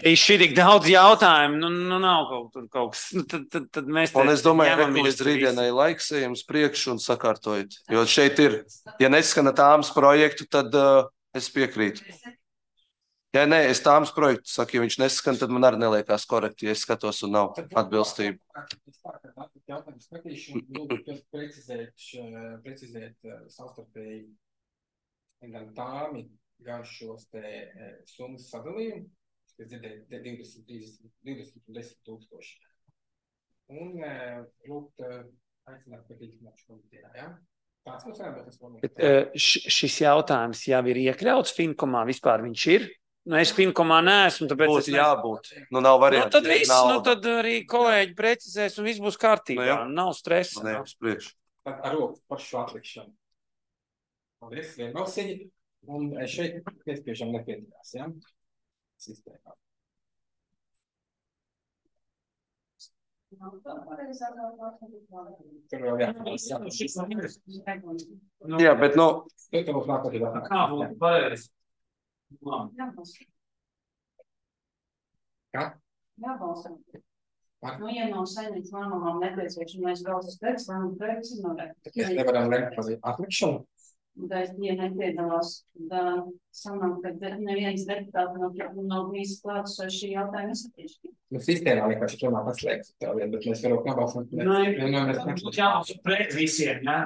Šī tik daudz jautājumu, nav kaut kas. Tad mēs un es domāju, ka līdz rītdienai laiks ejam uz priekšu un sakārtojot. Jo šeit ir, ja neskana tāmas projektu, tad es piekrītu. Ja nē, es tāmas projektu saku, ja viņš neskan, tad man arī neliekās korekti, ja es skatos un nav atbilstību. Jautājums skatīšanu, precizēt savstarpēji gan tāmi, gan šos te summas sadalījumu, kas dzirdēja 20 un 10,000. Un lūgt aicināt par īstenāšu komitejā, jā? Tāds mums vajag, bet tas vēl šis jautājums jau ir iekļauts Finkomā, vispār viņš ir? Es Finkomā neesmu, tāpēc būtu jābūt. Nav varianti. Tad viss, tad arī kolēģi precizēs un viss būs kārtībā. Nav stresa. Nē, uz priekšu. Ar roku par šo atlikšanu. Paldies, vienbalsīgi. Un šeit piespiežam nepiedalās, jā? Sistēmā. Jā, bet Kā būtu pareizi? Kā? Nu, ja nav saimnieks lēmumam nepieciešamais valsts projekts, lēmuma projekts ir noteikti. Mēs nevaram lemt par atlikšanu. Bet, ja nepiedalās, tad sanāk, ka neviens deputāts nav bijis klāts šī jautājuma izskatīšanai. Nu, sistēmā vienkārši tomēr paslēgts tā vieta, bet mēs varam nobalsot. Pret visiem, jā?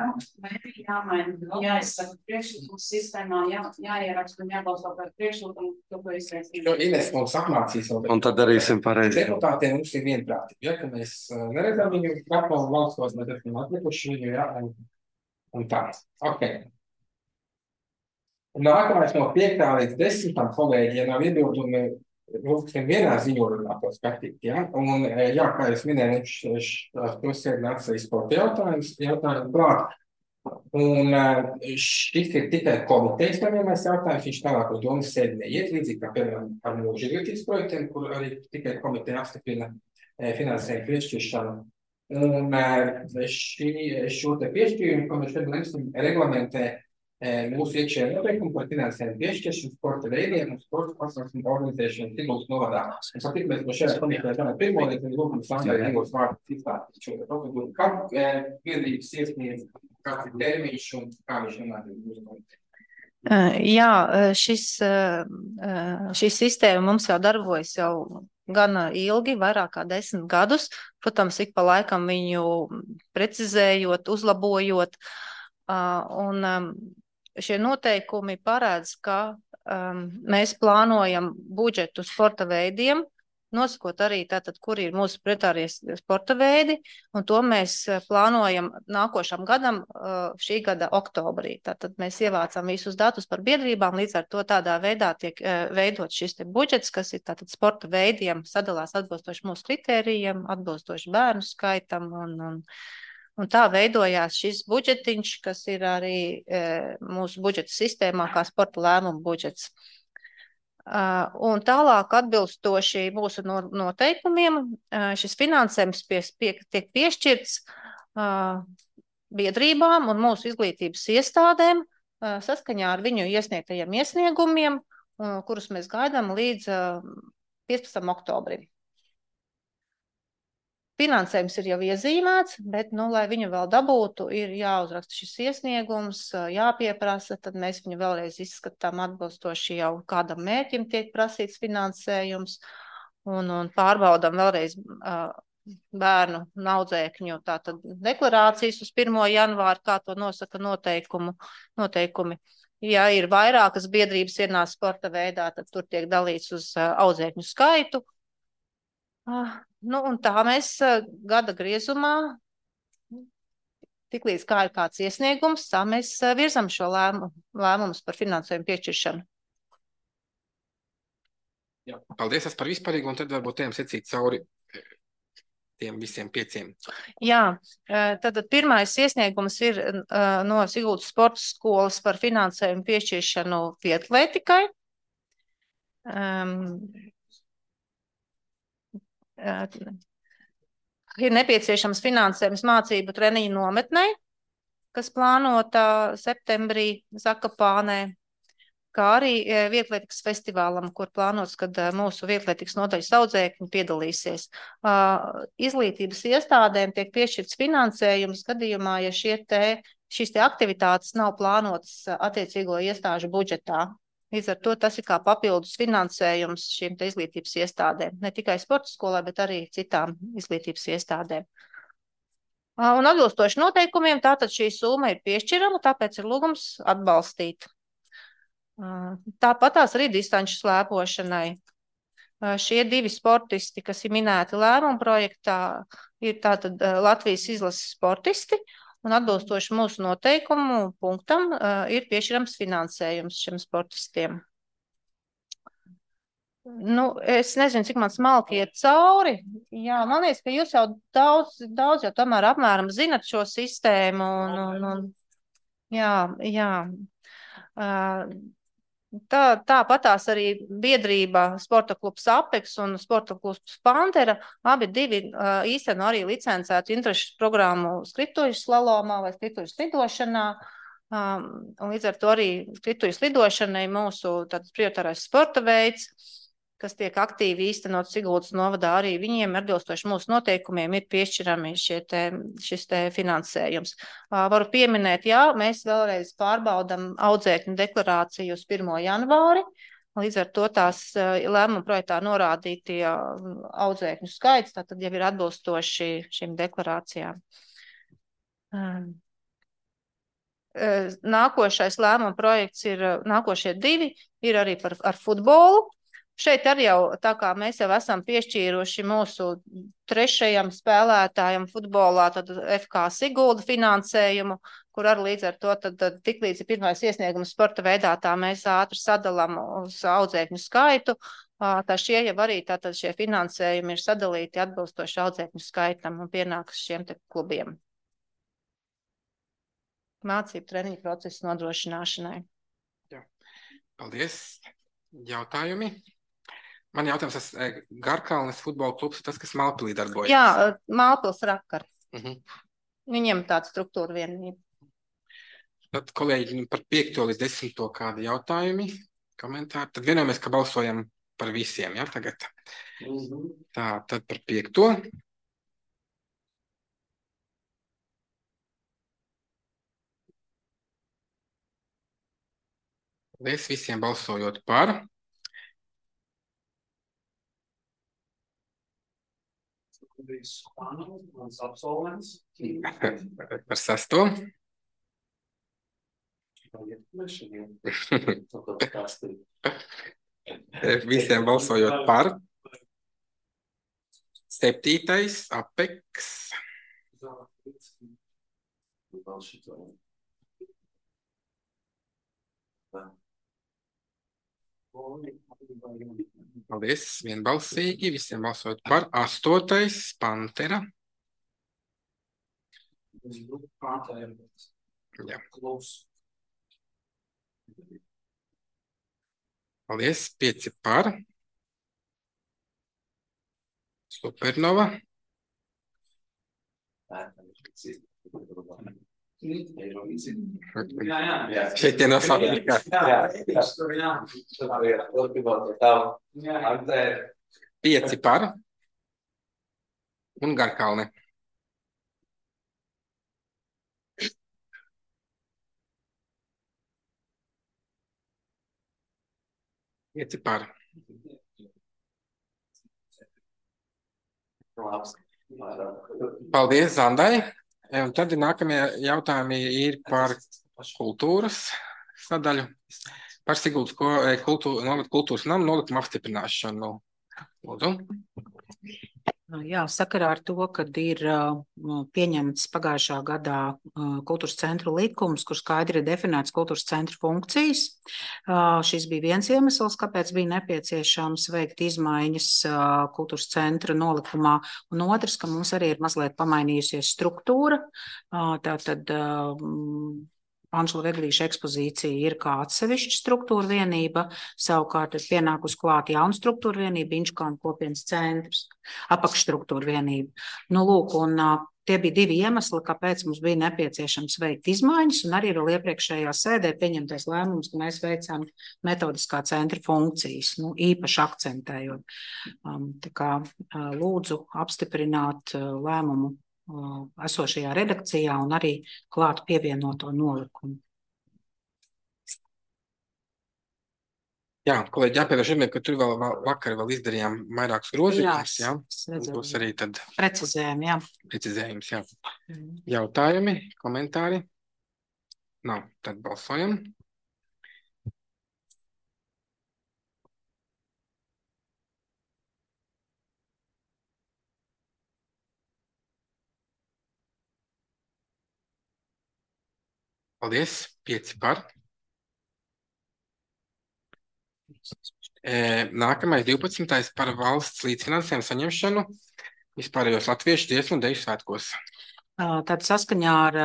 Jāmaina, jāizsaka priekšlikums sistēmā, jāieraksta un jābalso par priekšlikumu, ko izsaka. Ines mums apmācīs. Un tad darīsim pareizi. Deputātiem mums ir vienprātība, ja, ka mēs neredzam viņu grapalu valstos, mēs esam atlikuši viņu, ja, un tā. Ok. Nākamais no 5. līdz 10. kolēģi, ja nav iebildumi, lūksim vienā ziņojumā to skatīt, ja? Un, jā, kā es minēju, to sēdni atsīs sporta jautājumu klāt. Un šis ir tikai komitejas savienojumais jautājums, viņš tālāk uz domas sēdi neiet, līdzīgi kā piemēram ar mūža izglītības projektiem, kur arī tikai komiteja apstiprina finansējumu piešķiršanu. Un šo te piešķīrumu, ko mēs šodien lemsim, reglamentē mūsu iekšējā noteikuma par finansējumu piešķiršanu sporta veidiem un sporta pasākumu organizēšanu Siguldas novadā. Un satik, mēs no šajā komitejā tāmēr pirmo līdz lūgumu Sandrai Siguldas vārdu izstāstīt šo te procedūru. Kad biedrības iesniedz, kāds ir termiņš un kā viņš nonāk mūsu komitejā? Jā, šī sistēma mums jau darbojas jau gana ilgi, vairāk kā 10 gadus. Protams, ik pa laikam viņu precizējot, uzlabojot. Un šie noteikumi paredz, ka mēs plānojam budžetu sporta veidiem, nosakot arī tātad, kur ir mūsu prioritārie sporta veidi, un to mēs plānojam nākošam gadam, šī gada oktobrī. Tātad mēs ievācam visus datus par biedrībām, līdz ar to tādā veidā tiek veidot šis te budžets, kas ir tātad sporta veidiem, sadalās atbilstoši mūsu kritērijiem, atbilstoši bērnu skaitam un tā veidojās šis budžetiņš, kas ir arī mūsu budžeta sistēmā kā sporta lēmumu budžets. Un tālāk atbilstoši mūsu noteikumiem šis finansējums tiek piešķirts biedrībām un mūsu izglītības iestādēm saskaņā ar viņu iesniegtajiem iesniegumiem, kurus mēs gaidām līdz 15. oktobrim. Finansējums ir jau iezīmēts, bet, lai viņu vēl dabūtu, ir jāuzraksta šis iesniegums, jāpieprasa, tad mēs viņu vēlreiz izskatām atbilstoši jau kādam mērķim tiek prasīts finansējums un pārbaudam vēlreiz bērnu un audzēkņu tātad deklarācijas uz 1. janvāru, kā to nosaka noteikumi. Ja ir vairākas biedrības vienā sporta veidā, tad tur tiek dalīts uz audzēkņu skaitu. Un tā mēs gada griezumā, tiklīdz kā ir kāds iesniegums, tā mēs virzam šo lēmumus par finansējumu piešķiršanu. Jā, paldies par vispārīgu, un tad varbūt tiem secīt cauri tiem visiem 5. Jā, tad pirmais iesniegums ir no Siguldas sporta skolas par finansējumu piešķiršanu vietlētikai. Ir nepieciešams finansējums mācību treniņu nometnei, kas plānota septembrī Zakapānē, kā arī vietlētikas festivālam, kur plānots, kad mūsu vietlētikas nodaļas audzēkņi piedalīsies. Izglītības iestādēm tiek piešķirts finansējums gadījumā, ja šīs aktivitātes nav plānotas attiecīgo iestāžu budžetā. Līdz ar to tas ir kā papildus finansējums šīm te izglītības iestādēm, ne tikai sporta skolai, bet arī citām izglītības iestādēm. Un atbilstoši noteikumiem, tātad šī summa ir piešķirama, tāpēc ir lūgums atbalstīt. Tāpatās arī distanču slēpošanai. Šie 2 sportisti, kas ir minēti lēmuma projektā, ir tātad Latvijas izlases sportisti, un atbilstoši mūsu noteikumu punktam ir piešķirams finansējums šiem sportistiem. Es nezinu, cik man smalki iet cauri. Jā, man liekas, ka jūs jau daudz jau tomēr apmēram zinat šo sistēmu. Jā. Tāpatās arī biedrība Sporta klubs Apex un Sporta klubs Pantera, abi divi īsteno arī licencētu interešu programmu skrituļu slalomā vai skrituļu slidošanā. Un līdz ar to arī skrituļu slidošanai mūsu prioritārais sporta veids, kas tiek aktīvi īstenot Siguldas novadā, arī viņiem atbilstoši mūsu noteikumiem ir piešķirami šis te finansējums. Varu pieminēt, jā, mēs vēlreiz pārbaudam audzēkņu deklarāciju uz 1. janvāri. Līdz ar to tās lēmuma projektā norādītie audzēkņu skaits, tātad jau ir atbilstoši šīm deklarācijām. Nākošais lēmuma projekts ir, nākošie 2 ir arī ar futbolu. Šeit arī jau, tā kā mēs jau esam piešķīruši mūsu 3. spēlētājam futbolā, tad FK Sigulda finansējumu, kur arī līdz ar to tad tiklīdz ir pirmais iesniegums sporta veidā, tā mēs ātri sadalām uz audzēkņu skaitu. Tā šie jau arī tātad šie finansējumi ir sadalīti atbilstoši audzēkņu skaitam un pienākas šiem te klubiem. Mācību treniņu procesu nodrošināšanai. Jā. Paldies. Jautājumi? Man jautājums, tas Garkalnes futbola klubs, tas, kas Malpilī darbojas. Jā, Malpils Rakar. Viņiem tāda struktūra vienība. Tad, kolēģi, par 5. līdz 10. kādi jautājumi, komentāri. Tad vienojamies, ka balsojam par visiem, jā, tagad. Tā, tad par 5. Paldies visiem balsojot par. Par 6. Visiem balsojot par. 7. Apex. Paldies, vienbalsīgi, visiem balsojot par. 8. Pantera. Jā. Paldies, 5 par. Supernova. Šeit tie nosaukt. 5 par. Un Garkalne. Pieci par. Paldies, Zandai. Un tad nākamie jautājumi ir par kultūras sadaļu. Par Siguldas kultūras namu nolikumu apstiprināšanu. Lūdzu. Jā, sakarā ar to, kad ir pieņemts pagājušā gadā kultūras centru likums, kur skaidri ir definēts kultūras centru funkcijas. Šis bija viens iemesls, kāpēc bija nepieciešams veikt izmaiņas kultūras centra nolikumā. Un otrs, ka mums arī ir mazliet pamainījusies struktūra. Tātad Anšla Veglīša ekspozīcija ir kā atsevišķa struktūra vienība, savukārt ir pienākus klāt jauna struktūra vienība, Inčkānu kopienas centrs, apakšstruktūra vienība. Nu, lūk, un tie bija 2 iemesli, kāpēc mums bija nepieciešams veikt izmaiņas, un arī vēl iepriekšējā sēdē pieņemtais lēmums, ka mēs veicām metodiskā centra funkcijas, īpaši akcentējot. Tā kā lūdzu apstiprināt lēmumu esošajā redakcijā un arī klāt pievienoto nolikumu. Jā, kolēģi, jāpievērš uzmanība, ka tur vēl vakar izdarījām vairākus grozījumus. Jā, būs arī tad precizējumi, jā. Precizējums, jā. Jautājumi, komentāri? Nav, tad balsojam. Paldies, 5 par. Nākamais 12. par valsts līdzfinansējumu saņemšanu vispārējos latviešu dziesmu un deju svētkos. Tad saskaņā ar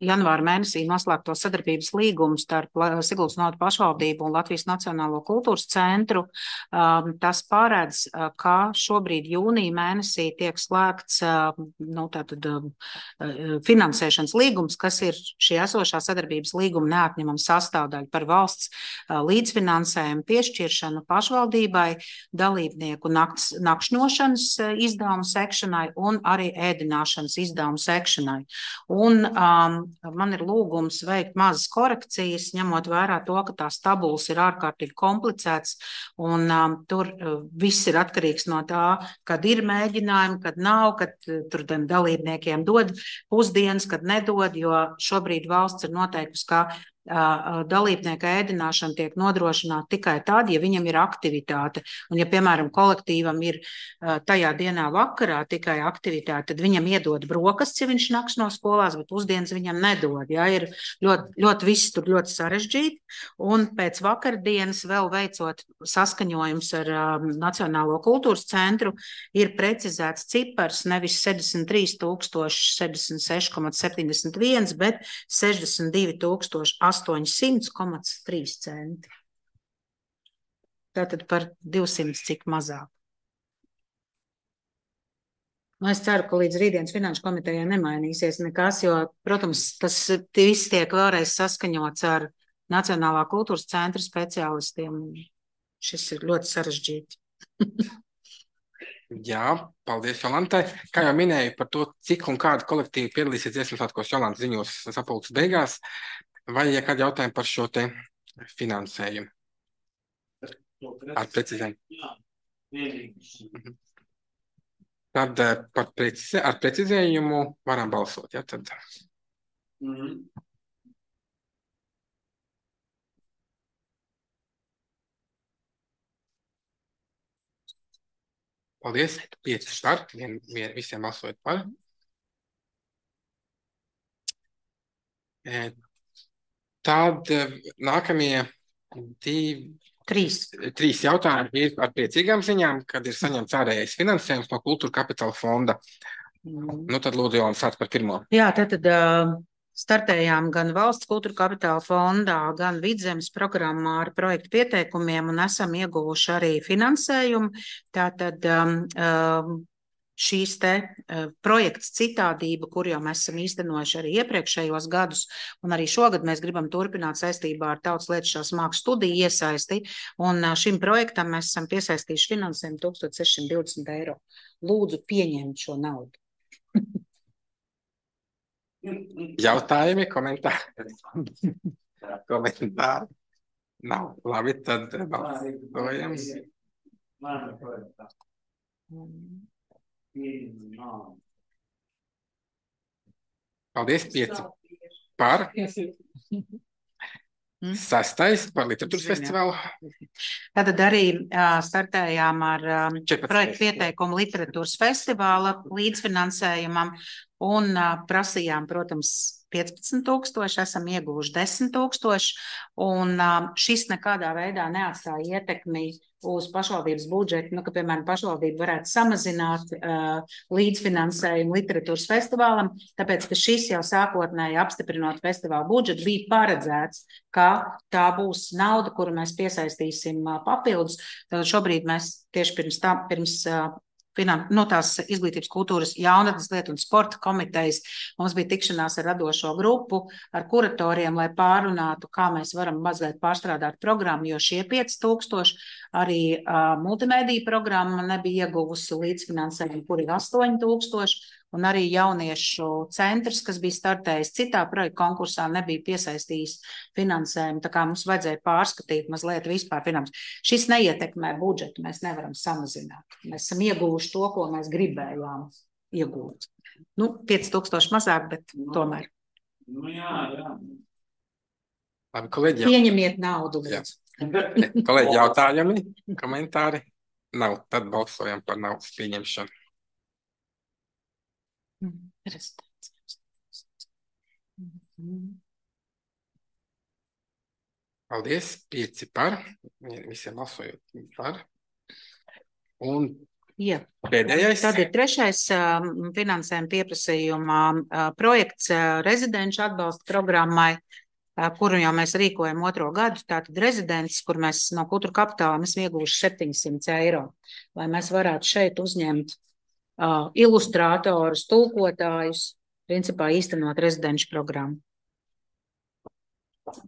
janvāra mēnesī noslēgto sadarbības līgumu starp Siguldas novada pašvaldību un Latvijas Nacionālo kultūras centru. Tas paredz, ka šobrīd jūnija mēnesī tiek slēgts finansēšanas līgums, kas ir šī esošā sadarbības līguma neatņemama sastāvdaļa par valsts līdzfinansējumu piešķiršanu pašvaldībai, dalībnieku nakšņošanas izdevumu sekšanai un arī ēdināšanas izdevumu sekšanai. Un man ir lūgums veikt mazas korekcijas, ņemot vērā to, ka tās tabulas ir ārkārtīgi komplicētas, un tur viss ir atkarīgs no tā, kad ir mēģinājumi, kad nav, kad tur dalībniekiem dod pusdienas, kad nedod, jo šobrīd valsts ir noteikusi, ka dalībnieka ēdināšana tiek nodrošināta tikai tad, ja viņam ir aktivitāte. Un ja, piemēram, kolektīvam ir tajā dienā vakarā tikai aktivitāte, tad viņam iedod brokastis, ja viņš nakš no skolās, bet pusdienas viņam nedod. Ja? Ir ļoti viss tur ļoti sarežģīti. Un pēc vakardienas vēl veicot saskaņojums ar Nacionālo kultūras centru, ir precizēts cipars nevis 73,76,71, bet 62,800,3 centi. Tātad par 200 cik mazāk. Es ceru, ka līdz rītdienas finanšu komitejai nemainīsies nekas, jo, protams, tas viss tiek vēlreiz saskaņots ar Nacionālā kultūras centra speciālistiem. Šis ir ļoti sarežģīti. Jā, paldies Jolantai. Kā jau minēju par to, cik un kādu kolektīvu piedalīsies Dziesmu svētkos, Jolanta ziņos sapulces beigās, vai ir kādi jautājumi par šo te finansējumu? Ar precizējumu. Tad ar precizējumu varam balsot, ja? Tad. Paldies, 5 par, visiem balsojot par. Tad nākamie trīs jautājumi ir ar priecīgām ziņām, kad ir saņemts ārējais finansējums no Kultūra Kapitāla fonda. Nu tad lūdzu, Jolanta, sāc par pirmo. Jā, tad startējām gan Valsts Kultūra Kapitāla fondā, gan Vidzemes programmā ar projektu pieteikumiem un esam ieguvuši arī finansējumu. Tātad šīs te projekts Citādība, kur jau mēs esam īstenojuši arī iepriekšējos gadus, un arī šogad mēs gribam turpināt saistībā ar Tautas lietušās mākslas studiju iesaisti, un šim projektam mēs esam piesaistījuši finansējumu 1620 eiro. Lūdzu, pieņemt šo naudu. Jautājumi, komentāri? Komentāri? Nav. Labi, tad balsojam. Paldies, 5 par. 6. par literatūras festivālu. Tad arī startējām ar projektu pieteikumu literatūras festivāla līdzfinansējumam un prasījām, protams, 15,000, esam ieguvuši 10,000, un šis nekādā veidā neatstāja ietekmi uz pašvaldības budžetu, ka, piemēram, pašvaldība varētu samazināt līdzfinansējumu literatūras festivālam, tāpēc, ka šis jau sākotnēji apstiprinot festivālu budžetu bija paredzēts, ka tā būs nauda, kuru mēs piesaistīsim papildus. Tad šobrīd mēs tieši pirms tās izglītības, kultūras, jaunatnes lietu un sporta komitejas mums bija tikšanās ar radošo grupu, ar kuratoriem, lai pārunātu, kā mēs varam mazliet pārstrādāt programmu, jo šie 5,000 arī multimēdija programma nebija ieguvusi līdzfinansējumu, kur ir 8,000, un arī jauniešu centrs, kas bija startējis citā projekta konkursā, nebija piesaistījis finansējumu, tā kā mums vajadzēja pārskatīt mazliet vispār finansējumu. Šis neietekmē budžetu, mēs nevaram samazināt. Mēs esam ieguvuši to, ko mēs gribējām iegūt. 5,000 mazāk, bet tomēr. Labi, kolēģi. Pieņemiet naudu. Kolēģi, jautājumi, komentāri? Nav, tad balsojam par naudas pieņemšanu. Paldies, 5 par, visiem balsojot par. Un Jā. Pēdējais. Tad ir trešais finansējuma pieprasījuma projekts rezidenšu atbalsta programmai, kuru jau mēs rīkojam 2. gadu. Tātad rezidents, kur mēs no kultūra kapitāla esam ieguvuši 700 eiro, lai mēs varētu šeit uzņemt ilustrātorus, tulkotājus, principā īstenot rezidenšu programmu.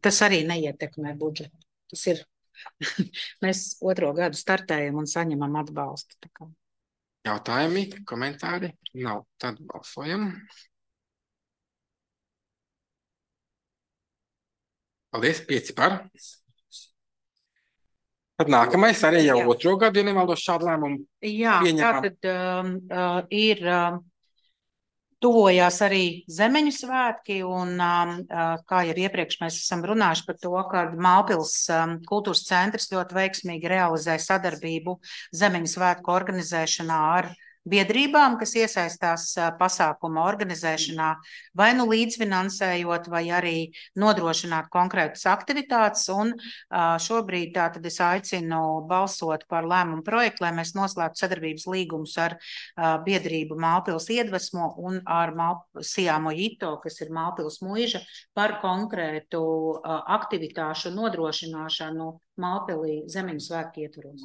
Tas arī neietekmē budžetu. Tas ir, mēs 2. gadu startējam un saņemam atbalstu. Tā kā. Jautājumi, komentāri? Nav. Tad balsojam. Paldies, 5 par. Tad nākamais arī jau 2. gadu, ja nemaldos šādu lēmumu. Jā, pieņemam. tātad ir tuvojās arī Zemeņu svētki, un kā jau iepriekš mēs esam runājuši par to, ka Mālpils kultūras centrs ļoti veiksmīgi realizē sadarbību Zemeņu svētku organizēšanā ar biedrībām, kas iesaistās pasākuma organizēšanā, vai nu līdzfinansējot, vai arī nodrošināt konkrētas aktivitātes. Un šobrīd tātad es aicinu balsot par lēmumu projektu, lai mēs noslēgtu sadarbības līgumus ar biedrību Mālpils iedvesmo un ar Sijāmo Jito, kas ir Mālpils muiža, par konkrētu aktivitāšu nodrošināšanu Mālpilī Zemeņu svētku ietvaros.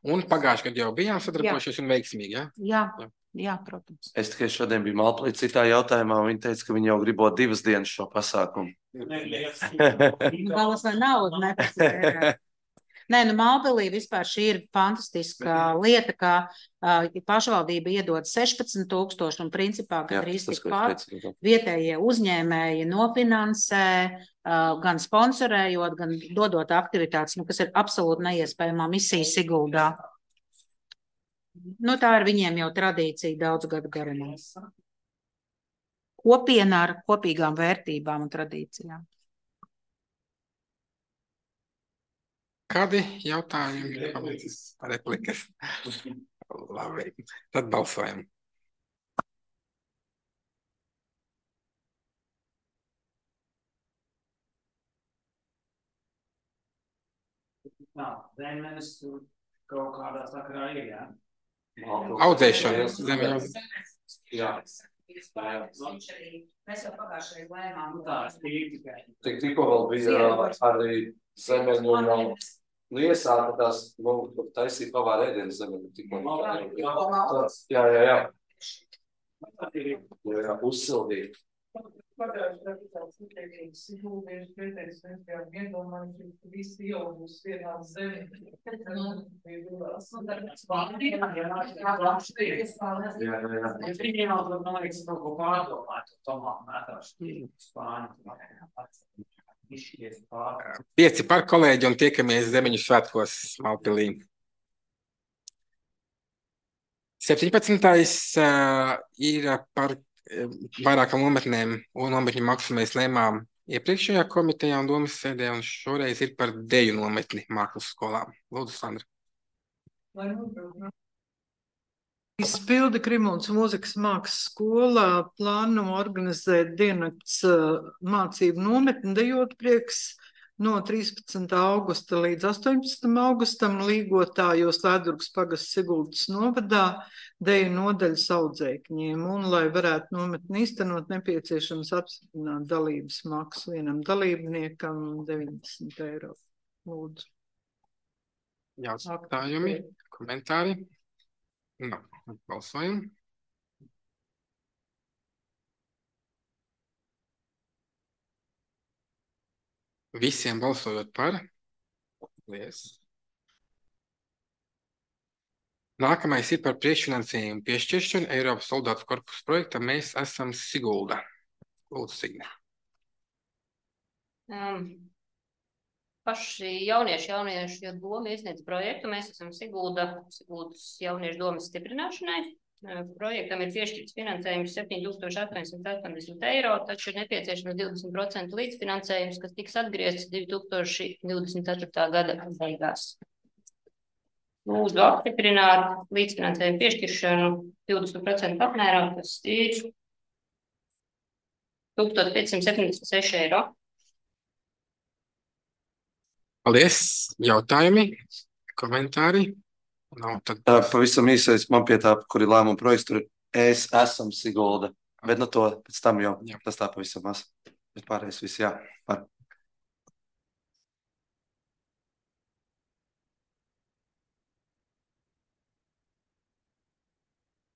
Un pagājušajā gadā jau bijām sadarbojušies un veiksmīgi, ja? Jā, protams. Es tikai šodien biju Mālpilī citā jautājumā, un viņi teica, ka viņi jau gribot 2 dienas šo pasākumu. Balas vai naudu nepasaka. Nē, nu Mālpilī vispār šī ir fantastiska lieta, ka pašvaldība iedod 16,000 un principā gandrīz tikpat vietējie uzņēmēji nofinansē, gan sponsorējot, gan dodot aktivitātes, kas ir absolūti neiespējamā misija Siguldā. Nu, tā ir viņiem jau tradīcija daudz gadu garumā. Kopiena ar kopīgām vērtībām un tradīcijām. Kādi jautājumi, replikas? Labi, tad balsojam. Zemes kaut kādā sakarā ir, jā? Audzēšana. Zemes. Jā. Mēs jau pagājušajā lēmām. Tikko vēl bija arī Zemeņu un iesāka tās, taisīja pavāra ēdienas Zemeņu. Jā. Uzsildīja. Pieci par, kolēģi, un tiekamies Zemeņu svētkos Mālpilī. 17. Ir par vairākām nometnēm un nometņu maksu mēs lēmām iepriekšējā komitejā un domas sēdē, un šoreiz ir par deju nometni mākslas skolām. Lūdzu, Sandra. Izpildi Krimunas mūzikas mākslas skolā plāno organizēt diennakts mācību nometni Dejot prieks no 13. augusta līdz 18. augustam Līgotājos Lēdurgas pagasts Siguldas novadā deju nodaļas audzēkņiem. Un, lai varētu nometni īstenot, nepieciešams apstiprināt dalības maksu vienam dalībniekam 90 eiro. Lūdzu. Jautājumi, komentāri? No, balsojam. Visiem balsojot par. Lies. Nākamais ir par priekšfinansējumu piešķiršanu Eiropas soldātu korpusa projektam. Mēs esam Sigulda. Lūdzu, Signe. Paši jauniešu doma iesniedz projektu. Mēs esam Siguldas jauniešu domas stiprināšanai. Projektam ir piešķirts finansējums 7,880 eiro, taču ir nepieciešams 20% līdzfinansējums, kas tiks atgriezts 2024. gada beigās. Lūdzu apstiprināt līdzfinansējumu piešķiršanu 20% apmērā, tas ir 1576 eiro. Paldies! Jautājumi, komentāri? Tad Pavisam īsais man pie tā, kur ir lēmuma projekts, tur es esam Sigulda. Bet to pēc tam jau tas tā pavisam maz. Bet pārējais viss, jā.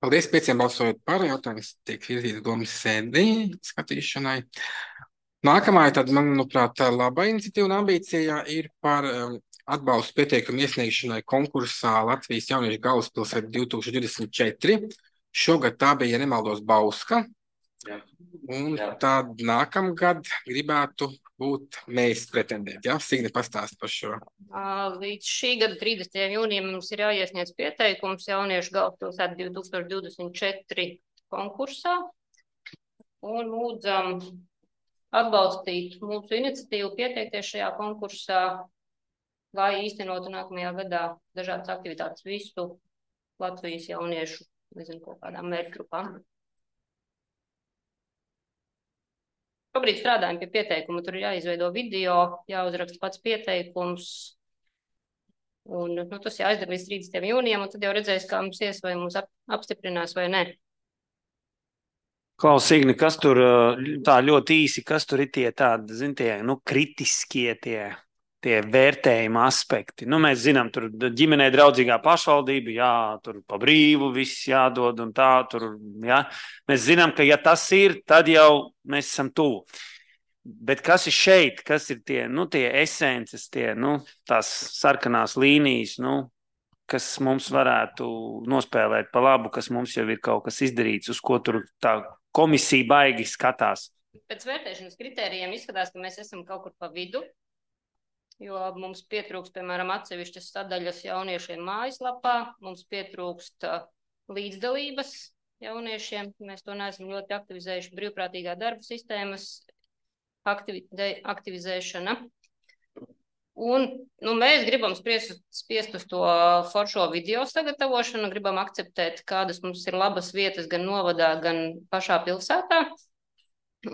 Paldies, 5 balsojot par, jautājums tiek virzīts domas sēdī skatīšanai. Nākamā, tad, manuprāt, laba iniciatīva un ambīcija ir par atbalstu pieteikumu iesniegšanai konkursā Latvijas jauniešu galvaspilsēta 2024. Šogad tā bija, ja nemaldos, Bauska. Un tad nākamgad gribētu būt mēs pretendēti. Ja? Signe pastāst par šo. Līdz šī gada 30. jūnijam mums ir jāiesniedz pieteikums jauniešu galvaspilsēta 2024 konkursā. Un lūdzam atbalstīt mūsu iniciatīvu, pieteikties šajā konkursā, lai īstenotu nākamajā gadā dažādas aktivitātes visu Latvijas jauniešu, nezinu, kaut kādām mērķgrupām. Šobrīd strādājam pie pieteikuma, tur ir jāizveido video, jāuzraksta pats pieteikums, un tas jāizdara līdz 30. jūnijam, un tad jau redzēs, kā mums ies, vai mums apstiprinās vai ne. Klaus, Igni, kas tur tā ļoti īsi, kas tur ir tie tādi, zin, tie, kritiskie tie vērtējuma aspekti? Mēs zinām, tur ģimenei draudzīgā pašvaldība, jā, tur pa brīvu viss jādod un tā, tur, jā. Mēs zinām, ka ja tas ir, tad jau mēs esam tuvu. Bet kas ir šeit, kas ir tie esences, tās sarkanās līnijas, kas mums varētu nospēlēt pa labu, kas mums jau ir kaut kas izdarīts, uz ko tur tā komisija baigi skatās? Pēc vērtēšanas kritērijiem izskatās, ka mēs esam kaut kur pa vidu, jo mums pietrūkst, piemēram, atsevišķas sadaļas jauniešiem mājaslapā, mums pietrūkst līdzdalības jauniešiem, mēs to neesam ļoti aktivizējuši, brīvprātīgā darba sistēmas aktivizēšana. Un mēs gribam spiest uz to foršo video sagatavošanu, gribam akceptēt, kādas mums ir labas vietas gan novadā, gan pašā pilsētā,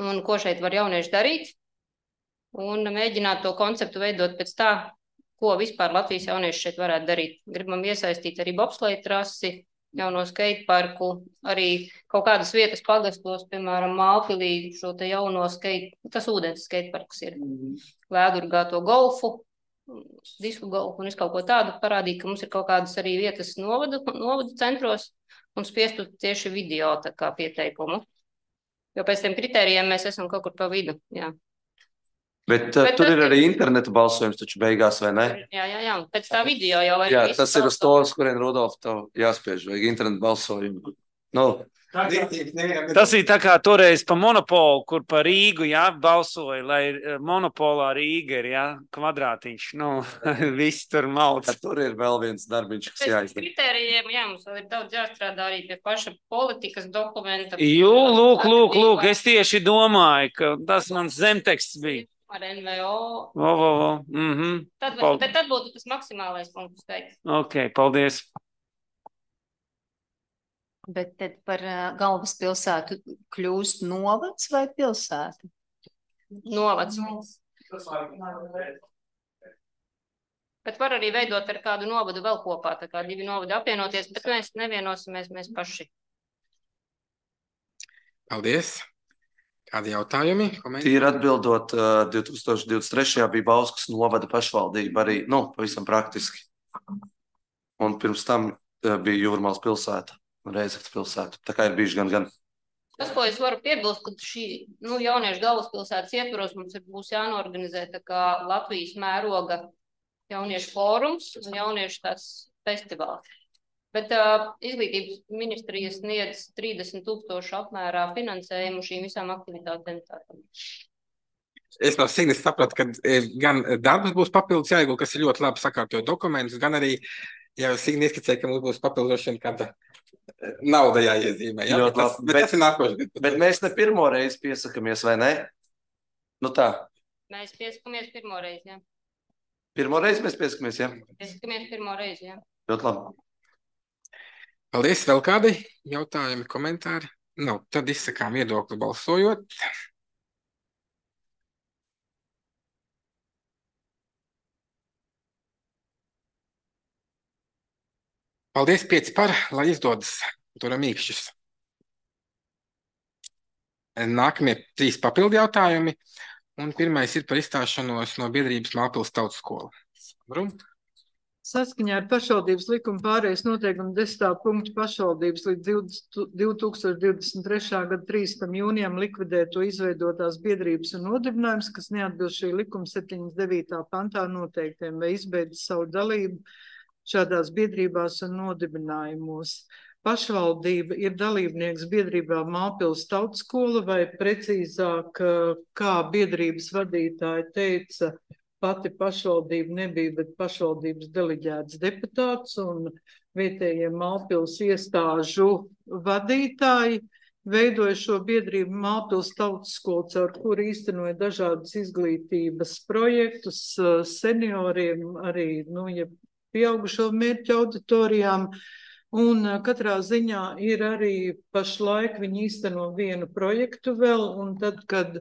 un ko šeit var jaunieši darīt. Un mēģināt to konceptu veidot pēc tā, ko vispār Latvijas jaunieši šeit varētu darīt. Gribam iesaistīt arī bobsleja trasi, jauno skateparku, arī kaut kādas vietas pagastos, piemēram, Mālpilī, šo te jauno tas ūdens skateparks ir, Vēdurgāto golfu, disku golfu un kaut ko tādu, parādīt, ka mums ir kaut kādas arī vietas novadu centros un spiestu tieši video tā kā pieteikumu. Jo pēc tiem kritērijiem mēs esam kaut kur pa vidu, jā. Bet tur ir arī interneta balsojums taču beigās, vai ne? Jā, pēc tā video jau var. Jā, tas ir uz to, uz kurien Rudolf tev jāspiež, vajag interneta balsojumu. Tas ir tā kā toreiz pa monopolu, kur pa Rīgu, balsoja, lai monopolā Rīga ir, kvadrātiņš, viss tur malc. Tur ir vēl viens darbiņš, kas jāizdara. Pēc kritērijiem, mums vēl ir daudz jāstrādā arī pie paša politikas dokumenta. Lūk, es tieši domāju, ka tas mans zemteksts bija. Ar NVO. Bet tad būtu tas maksimālais punktu skaits. Ok, paldies. Bet tad par galvaspilsētu kļūst novads vai pilsēta? Novads. Bet var arī veidot ar kādu novadu vēl kopā, tā kā 2 novadi apvienoties, bet mēs nevienosimies mēs paši. Paldies. Kādi jautājumi? Tīri atbildot, 2023. bija Bauskas novada pašvaldība arī, pavisam praktiski. Un pirms tam bija Jūrmālas pilsēta un Reizeknas pilsēta. Tā kā ir bijuši gan. Tas, ko es varu piebilst, ka šī jauniešu galvaspilsētas ietvaros mums būs jānorganizē tā kā Latvijas mēroga jauniešu fórums un jauniešu tāds festivāls. Bet izglītības ministrija sniedz 30,000 apmērā finansējumu šīm visām aktivitātēm. Es no Signes sapratu, ka gan darbs būs papildus jāiegulda, kas ir ļoti labi sakārtojot dokumentus, gan arī, ja Signe ieskicēja, ka mums būs papildošana kāda nauda jāiezīmē. Ja? Bet tas ir nākošais. Bet mēs ne pirmo reizi piesakamies, vai ne? Tā. Mēs piesakamies pirmo reizi, jā. Pirmo reizi mēs piesakamies, jā? Piesakamies pirmo reizi, jā. Ļoti labi. Paldies. Vēl kādi jautājumi, komentāri? Tad izsakām viedokli balsojot. Paldies, 5 par, lai izdodas. Turam mīkšķus. Nākamie 3 papildu jautājumi. Un pirmais ir par izstāšanos no biedrības Mālpils tautas skola. Saskaņā ar pašvaldības likuma pārējais noteikumu 10. punktu pašvaldības līdz 2023. gada 3. jūnijam likvidēto izveidotās biedrības un nodibinājums, kas neatbilst šī likuma 79. pantā noteiktiem, vai izbeidz savu dalību šādās biedrībās un nodibinājumos. Pašvaldība ir dalībnieks biedrībā Mālpils tautas skola, vai precīzāk, kā biedrības vadītāja teica, pati pašvaldība nebija, bet pašvaldības deleģēts deputāts un vietējie Mālpils iestāžu vadītāji veidoja šo biedrību Mālpils tautas skolu, caur kuru īstenoja dažādas izglītības projektus senioriem, arī pieaugušo mērķu auditorijām. Un katrā ziņā ir arī pašlaik viņi īsteno vienu projektu vēl, un tad, kad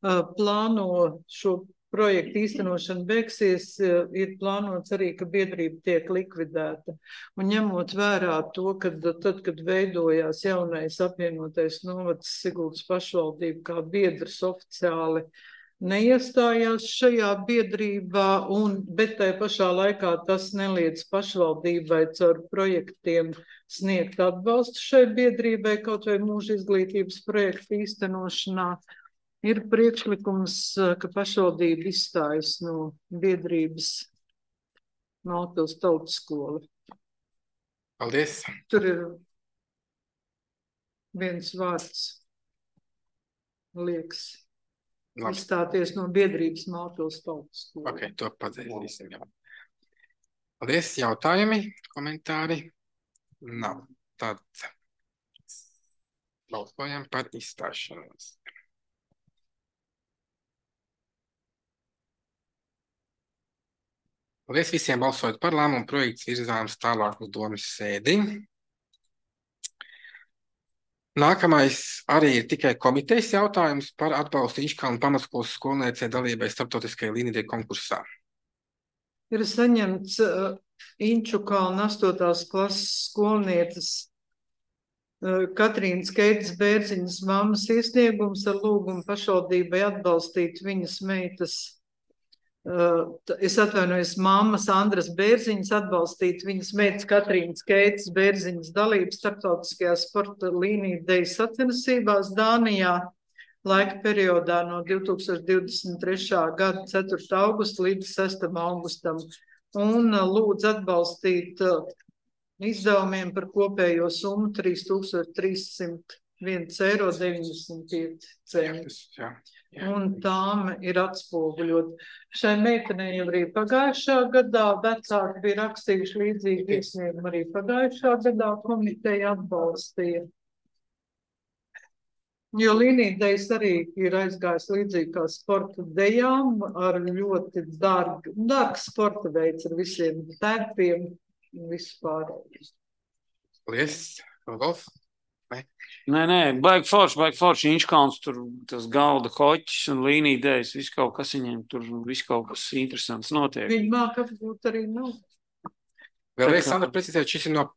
plāno šo projektu īstenošana beigsies, ir plānots arī, ka biedrība tiek likvidēta. Un ņemot vērā to, ka tad, kad veidojās jaunais apvienotais novads Siguldas pašvaldība kā biedrs oficiāli neiestājās šajā biedrībā, bet tai pašā laikā tas neliedz pašvaldībai caur projektiem sniegt atbalstu šai biedrībai, kaut vai mūža izglītības projektu īstenošanā. Ir priekšlikums, ka pašvaldība izstājas no biedrības Mālpils tautas skola. Paldies. Tur ir viens vārds, liekas, izstāties no biedrības Mālpils tautas skola. Ok, to padzēsim jau. Paldies. Jautājumi, komentāri? Nav. Tad balsojam par izstāšanos. Paldies visiem balsojot par lēmumu, projekts virzāms tālāk uz domas sēdi. Nākamais arī ir tikai komitejas jautājums par atbalstu Inčkalnu pamatskolas skolniecei dalībai starptautiskajā līnijai konkursā. Ir saņemts Inčukalna 8. klases skolnieces Katrīnas Keitas Bērziņas mammas iesniegums ar lūgumu pašvaldībai atbalstīt viņas meitas, es atvainojos, mammas Andras Bērziņas atbalstīt viņas meitas Katrīnas Keitas Bērziņas dalību starptautiskajā sporta līniju deju sacensībās Dānijā laika periodā no 2023. gada 4. augusta līdz 6. augustam un lūdz atbalstīt izdevumiem par kopējo summu 3301,95 eiro. Un tām ir atspoguļot. Šai meitenei jau arī pagājušā gadā vecāki bija rakstījuši līdzīgi iesniegumu, arī pagājušā gadā komiteja atbalstīja. Jo līnīdejas arī ir aizgājis līdzīgi kā sporta dejām ar ļoti dārgs sporta veids ar visiem tērpiem un vispār. Paldies, Rudolf. Nē, baigi forši, Inčkalns, tur tas galda hoķis un līnīdejas, viss kaut kas viņiem tur, viss kaut kas interesants notiek. Viņi māk apbūt arī nav. Vēlreiz, Sandra, precizēt, šis ir no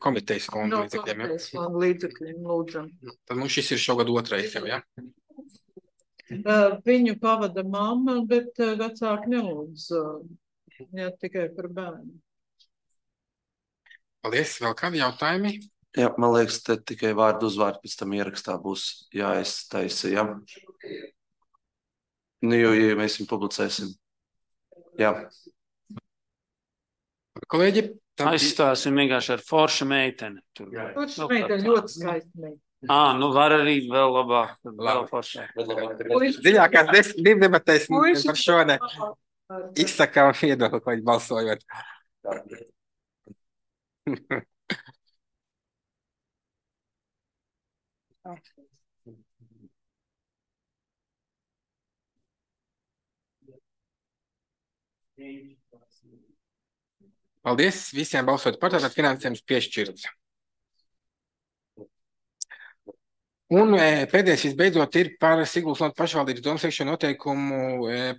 komitejas fonda līdzekļiem, ja? No komitejas fonda līdzekļiem, lūdzam. Tad mums šis ir šogad 2. jau, ja? Viņu pavada mamma, bet vecāki nelūdz, ja tikai par bērnu. Paldies, vēl kādi jautājumi? Jā, man liekas, te tikai vārdu uzvārdu pēc tam ierakstā būs jāiztaisa, ja? Nu, jo, ja mēs viņu publicēsim. Jā. Kolēģi, aizstāsim vienkārši ar forša meiteni. Forša meiteni, ļoti skaista meiteni. Nu var arī vēl labāk, vēl foršāk. Dziļākās debatēs par šo ne izsakām viedokli, ko viņi balsojot. Paldies visiem balsot par, tātad finansējums piešķirts. Un pēdējais visbeidzot ir par Siguldas novads pašvaldības domu sekšanu noteikumu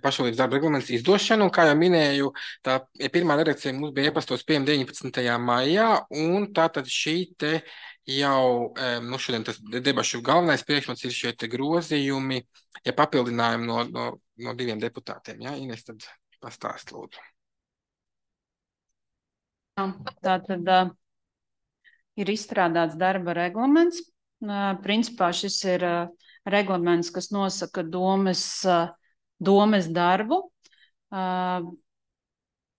pašvaldības darba reglaments izdošanu. Un, kā jau minēju, tā pirmā redakcija mums bija iepastos pieejama 19. maijā, un tātad šī te jau, šodien tas debašu galvenais priekšmets ir šie te grozījumi, ja papildinājumi no diviem deputātiem. Ja? Ines, tad pastāst lūdzu. Tātad ir izstrādāts darba reglaments. Principā šis ir reglaments, kas nosaka domes darbu.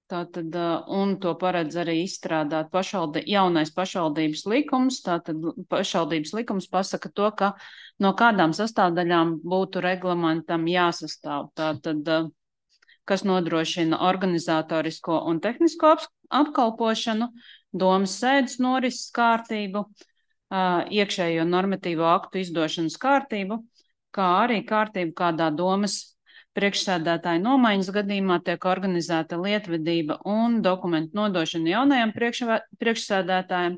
Tātad, un to paredz arī izstrādāt jaunais pašvaldības likums. Tātad pašvaldības likums pasaka to, ka no kādām sastāvdaļām būtu reglamentam jāsastāv. Tātad, kas nodrošina organizatorisko un tehnisko apkalpošanu, domas sēdes norises kārtību, iekšējo normatīvo aktu izdošanas kārtību, kā arī kārtību, kādā domas priekšsēdētāja nomaiņas gadījumā tiek organizēta lietvedība un dokumentu nodošana jaunajam priekšsēdētājam,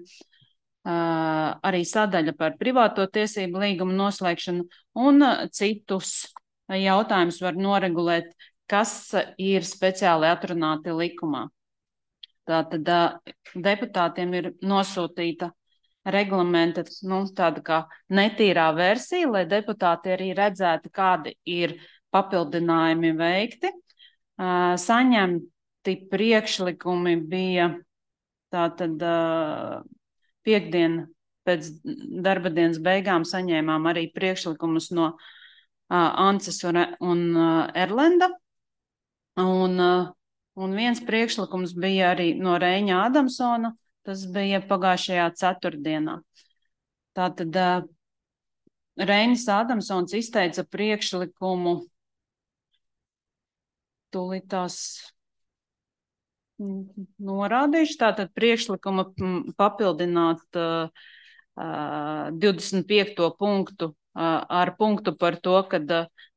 arī sadaļa par privāto tiesību līgumu noslēgšanu un citus jautājumus var noregulēt, kas ir speciāli atrunāti likumā. Tātad deputātiem ir nosūtīta reglamenta, tāda kā netīrā versija, lai deputāti arī redzētu, kādi ir papildinājumi veikti. Saņemti priekšlikumi bija tātad piekdien pēc darba dienas beigām saņēmām arī priekšlikumus no Ances un Erlenda. Un viens priekšlikums bija arī no Reiņa Adamsona. Tas bija pagājušajā ceturtdienā. Tātad Reinis Adamsons izteica priekšlikumu, tūlīt tās norādīšu, tātad priekšlikumu papildināt 25. punktu ar punktu par to, ka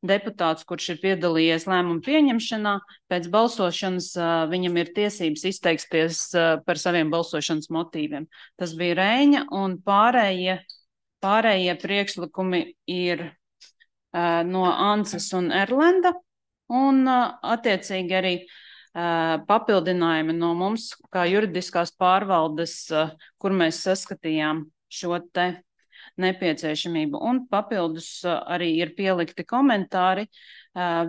deputāts, kurš ir piedalījies lēmumu pieņemšanā, pēc balsošanas viņam ir tiesības izteiksties par saviem balsošanas motīviem. Tas bija Reiņa, un pārējie priekšlikumi ir no Ances un Erlenda, un attiecīgi arī papildinājumi no mums, kā juridiskās pārvaldes, kur mēs saskatījām šo te nepieciešamību. Un papildus arī ir pielikti komentāri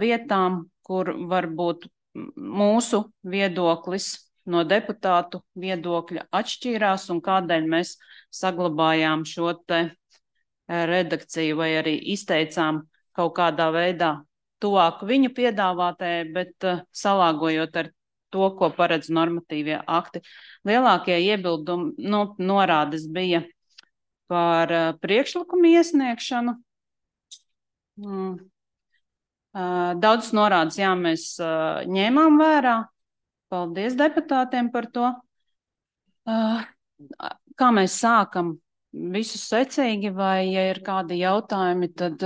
vietām, kur varbūt mūsu viedoklis no deputātu viedokļa atšķīrās un kādēļ mēs saglabājām šo te redakciju vai arī izteicām kaut kādā veidā tuvāk viņu piedāvātajai, bet salāgojot ar to, ko paredz normatīvie akti. Lielākie iebildumi norādes bija par priekšlikumu iesniegšanu. Daudz norādes, jā, mēs ņēmām vērā. Paldies deputātiem par to. Kā mēs sākam? Visu secīgi, vai ja ir kādi jautājumi, tad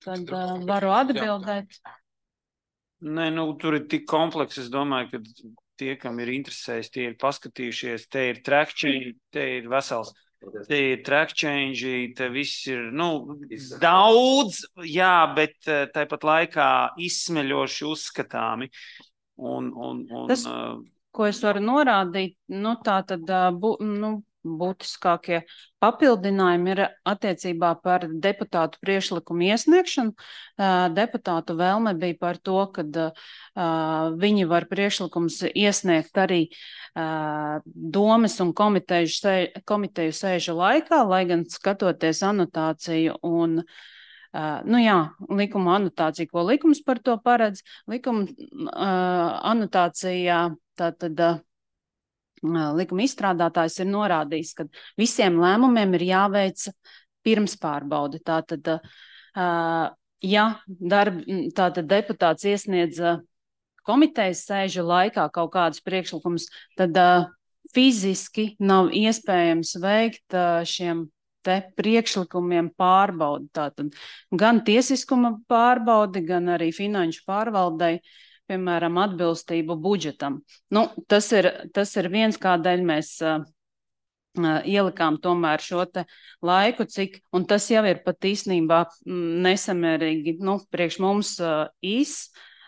varu atbildēt. Nē, tur ir tik kompleks, es domāju, ka tie, kam ir interesējis, tie ir paskatījušies, te ir track change, te ir vesels, te ir track change, te viss ir, daudz, jā, bet tāpat laikā izsmeļoši uzskatāmi. Tas, ko es varu norādīt, tā tad būtiskākie papildinājumi ir attiecībā par deputātu priekšlikumu iesniegšanu. Deputātu vēlme bija par to, ka viņi var priekšlikums iesniegt arī domes un komiteju sēžu laikā, lai gan skatoties anotāciju un likuma anotāciju, ko likums par to paredz. Likuma anotācijā tātad likuma izstrādātājs ir norādījis, ka visiem lēmumiem ir jāveic pirmspārbaudi. Tātad, tātad deputāts iesniedz komitejas sēžu laikā kaut kādus priekšlikumus, tad fiziski nav iespējams veikt šiem te priekšlikumiem pārbaudi. Tātad gan tiesiskuma pārbaudi, gan arī finanšu pārvaldei, piemēram, atbilstību budžetam. Tas ir viens, kādēļ mēs ielikām tomēr šo te laiku, un tas jau ir pat īstenībā nesamērīgi, priekš mums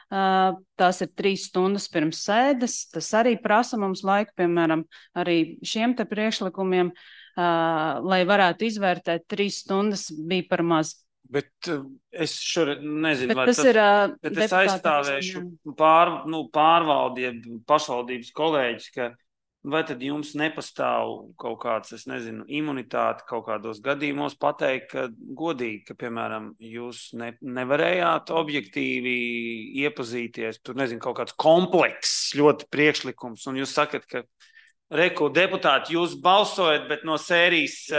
tās ir 3 stundas pirms sēdes, tas arī prasa mums laiku, piemēram, arī šiem te priekšlikumiem, lai varētu izvērtēt 3 stundas bija par maz. Bet es šoreiz nezinu, vai bet es aizstāvēšu pārvaldi, pašvaldības kolēģis, ka vai tad jums nepastāv kaut kāds, es nezinu, imunitāte kaut kādos gadījumos pateikt, ka godīgi, ka, piemēram, jūs nevarējāt objektīvi iepazīties, tur, nezinu, kaut kāds komplekss ļoti priekšlikums, un jūs sakat, ka Reku, deputāti, jūs balsojat, bet no sērijas,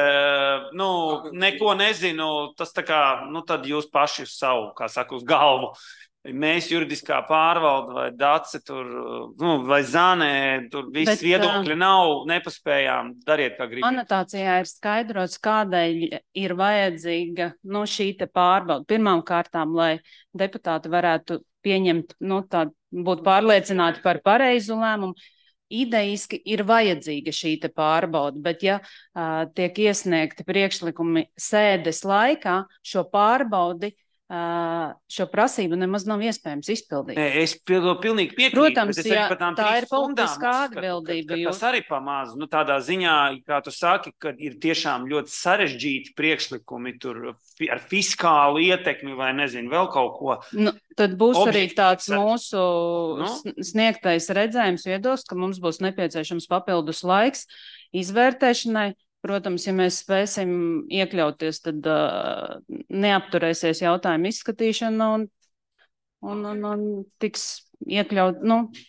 neko nezinu, tas tā kā, tad jūs paši uz savu, kā saka, uz galvu. Mēs juridiskā pārvalde vai Dace tur, vai Zanē, tur viss viedokļi nav, nepaspējām, dariet, kā gribat. Anotācijā ir skaidrots, kādēļ ir vajadzīga, šī te pārbauda. Pirmām kārtām, lai deputāti varētu pieņemt, būt pārliecināti par pareizu lēmumu. Idejiski ir vajadzīga šī te pārbauda, bet ja tiek iesniegti priekšlikumi sēdes laikā, šo pārbaudi, šo prasību nemaz nav iespējams izpildīt. Es pilnīgi piekrītu. Protams, ja tā ir politiskā atbildība. Tas arī pamaz, tādā ziņā, kā tu saki, ka ir tiešām ļoti sarežģīti priekšlikumi tur ar fiskālu ietekmi vai nezinu, vēl kaut ko. Tad būs arī tāds mūsu sniegtais redzējums viedoklis, ka mums būs nepieciešams papildus laiks izvērtēšanai. Protams, ja mēs spēsim iekļauties, tad neapturēsies jautājumu izskatīšana un tiks iekļaut,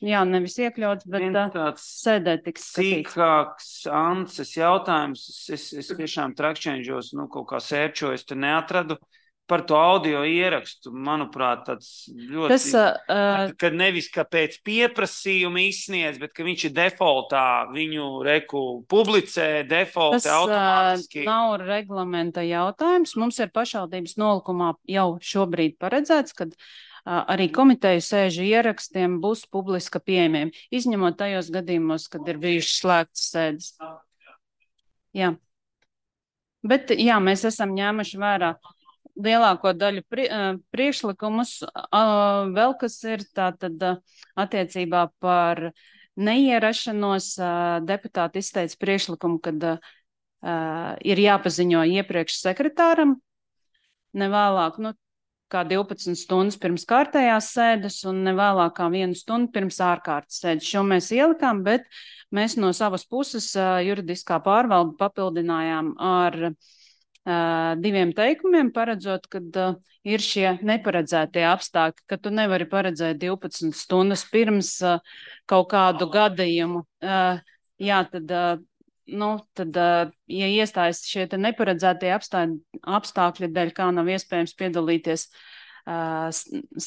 nevis iekļauts, bet sēdē tiks skatīts. Sīkāks Ances jautājums, es tiešām trakšķenžos, kaut kā sērčos, te neatradu. Par to audio ierakstu, manuprāt, tāds ļoti, ka nevis ka pēc pieprasījuma izsniedz, bet ka viņš ir defaultā, viņu publicē defaultā automātiski. Tas nav reglamenta jautājums. Mums ir pašvaldības nolikumā jau šobrīd paredzēts, kad arī komiteju sēžu ierakstiem būs publiska pieejamiem, izņemot tajos gadījumos, kad ir bijušas slēgtas sēdes. Jā. Bet, mēs esam ņēmuši vērā lielāko daļu priekšlikumus, vēl kas ir tātad attiecībā par neierašanos, deputāti izteica priekšlikumu, kad ir jāpaziņo iepriekš sekretāram, nevēlāk, kā 12 stundas pirms kārtējās sēdes un nevēlāk kā 1 stundu pirms ārkārtas sēdes. Šo mēs ielikām, bet mēs no savas puses juridiskā pārvalde papildinājām ar 2 teikumiem, paredzot, kad ir šie neparedzētie apstākļi, ka tu nevari paredzēt 12 stundas pirms kaut kādu gadījumu. Tad, ja iestājas šie te neparedzētie apstākļi dēļ, kā nav iespējams piedalīties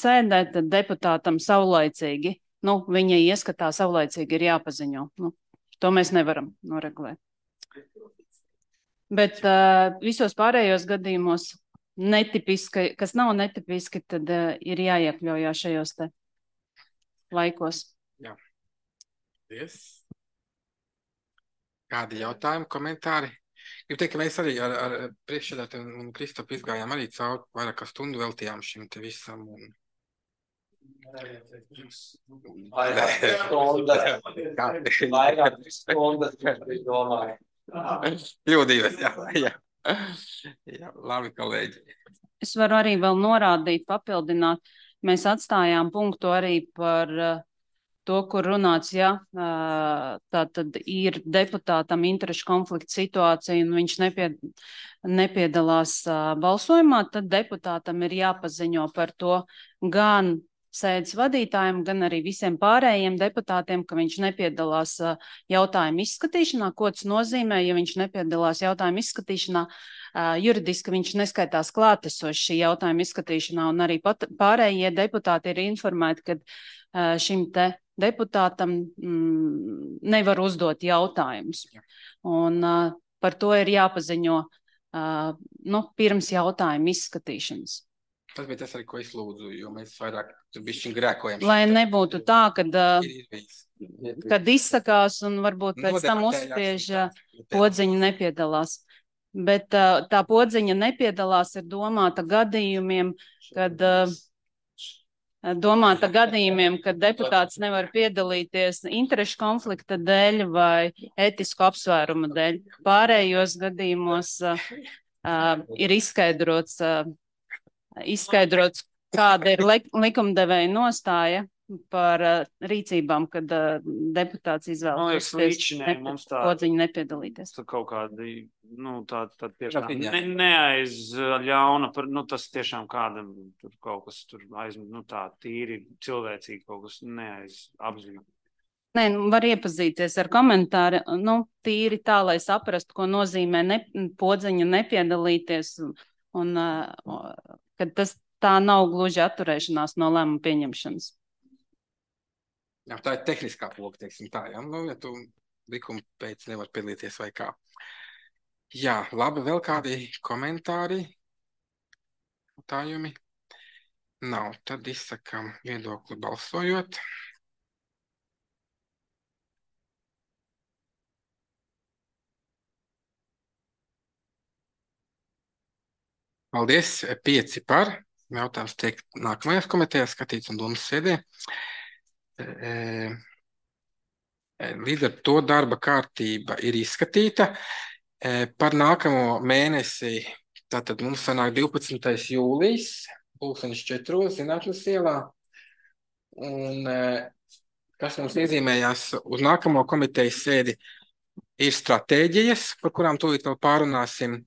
sēdē, tad deputātam saulaicīgi, viņa ieskatā saulaicīgi ir jāpaziņo. To mēs nevaram noregulēt. Bet visos pārējos gadījumos netipiski, kas nav netipiski, tad ir jāiekļaujās šajos te laikos. Jā. Yes. Kādi jautājumi, komentāri? Gribu teikt, ka mēs arī ar priekšsēdētāju un Kristopu izgājām arī cauri vairāk kā stundu veltījām šim te visam. Vairāk stundas, domāju. Kļūdījos, jā. Labi, kolēģi. Es varu arī vēl norādīt, papildināt. Mēs atstājām punktu arī par to, kur runāts, tā tad ir deputātam interešu konflikta situācija un viņš nepiedalās balsojumā, tad deputātam ir jāpaziņo par to gan sēdes vadītājiem, gan arī visiem pārējiem deputātiem, ka viņš nepiedalās jautājumu izskatīšanā. Ko tas nozīmē, ja viņš nepiedalās jautājumu izskatīšanā? Juridiski viņš neskaitās klātesoši šī jautājuma izskatīšanā, un arī pārējie deputāti ir informēti, ka šim te deputātam nevar uzdot jautājumus. Un par to ir jāpaziņo pirms jautājuma izskatīšanas. Tas bija tas arī, ko es lūdzu, jo mēs vairāk tur bišķiņ grēkojam. Lai nebūtu tā, Ir bijis. kad izsakās un varbūt pēc tam uzspiež podziņa nepiedalās. Bet tā podziņa nepiedalās ir domāta gadījumiem, kad deputāts nevar piedalīties interešu konflikta dēļ vai ētisku apsvērumu dēļ. Pārējos gadījumos ir izskaidrots, kāda ir likumdevēja nostāja par rīcībām, kad deputāts izvēlas podziņu nepiedalīties. Tā kaut kādi, tā tiešām neaizļauna, tas tiešām kādam tur kaut kas tur tā tīri cilvēcīgi kaut kas neaizapzīmē. Nē, var iepazīties ar komentāru, tīri tā, lai saprastu, ko nozīmē podziņa nepiedalīties, un kad tā nav gluži atturēšanās no lēmuma pieņemšanas. Jā, tā ir tehniskā poga, teiksim tā, ja tu likuma pēc nevar piedalīties vai kā. Jā, labi, vēl kādi komentāri, jautājumi? Nav, tad izsakam viedokli balsojot. Paldies, 5 par. Jautājums tiek nākamajās komitejās skatīts un domas sēdē. Līdz ar to darba kārtība ir izskatīta. Par nākamo mēnesi, tātad mums sanāk 12. jūlijas, 2004. Zinātnes ielā. Un kas mums iezīmējās uz nākamo komitejas sēdi, ir stratēģijas, par kurām tūlīt vēl pārunāsim.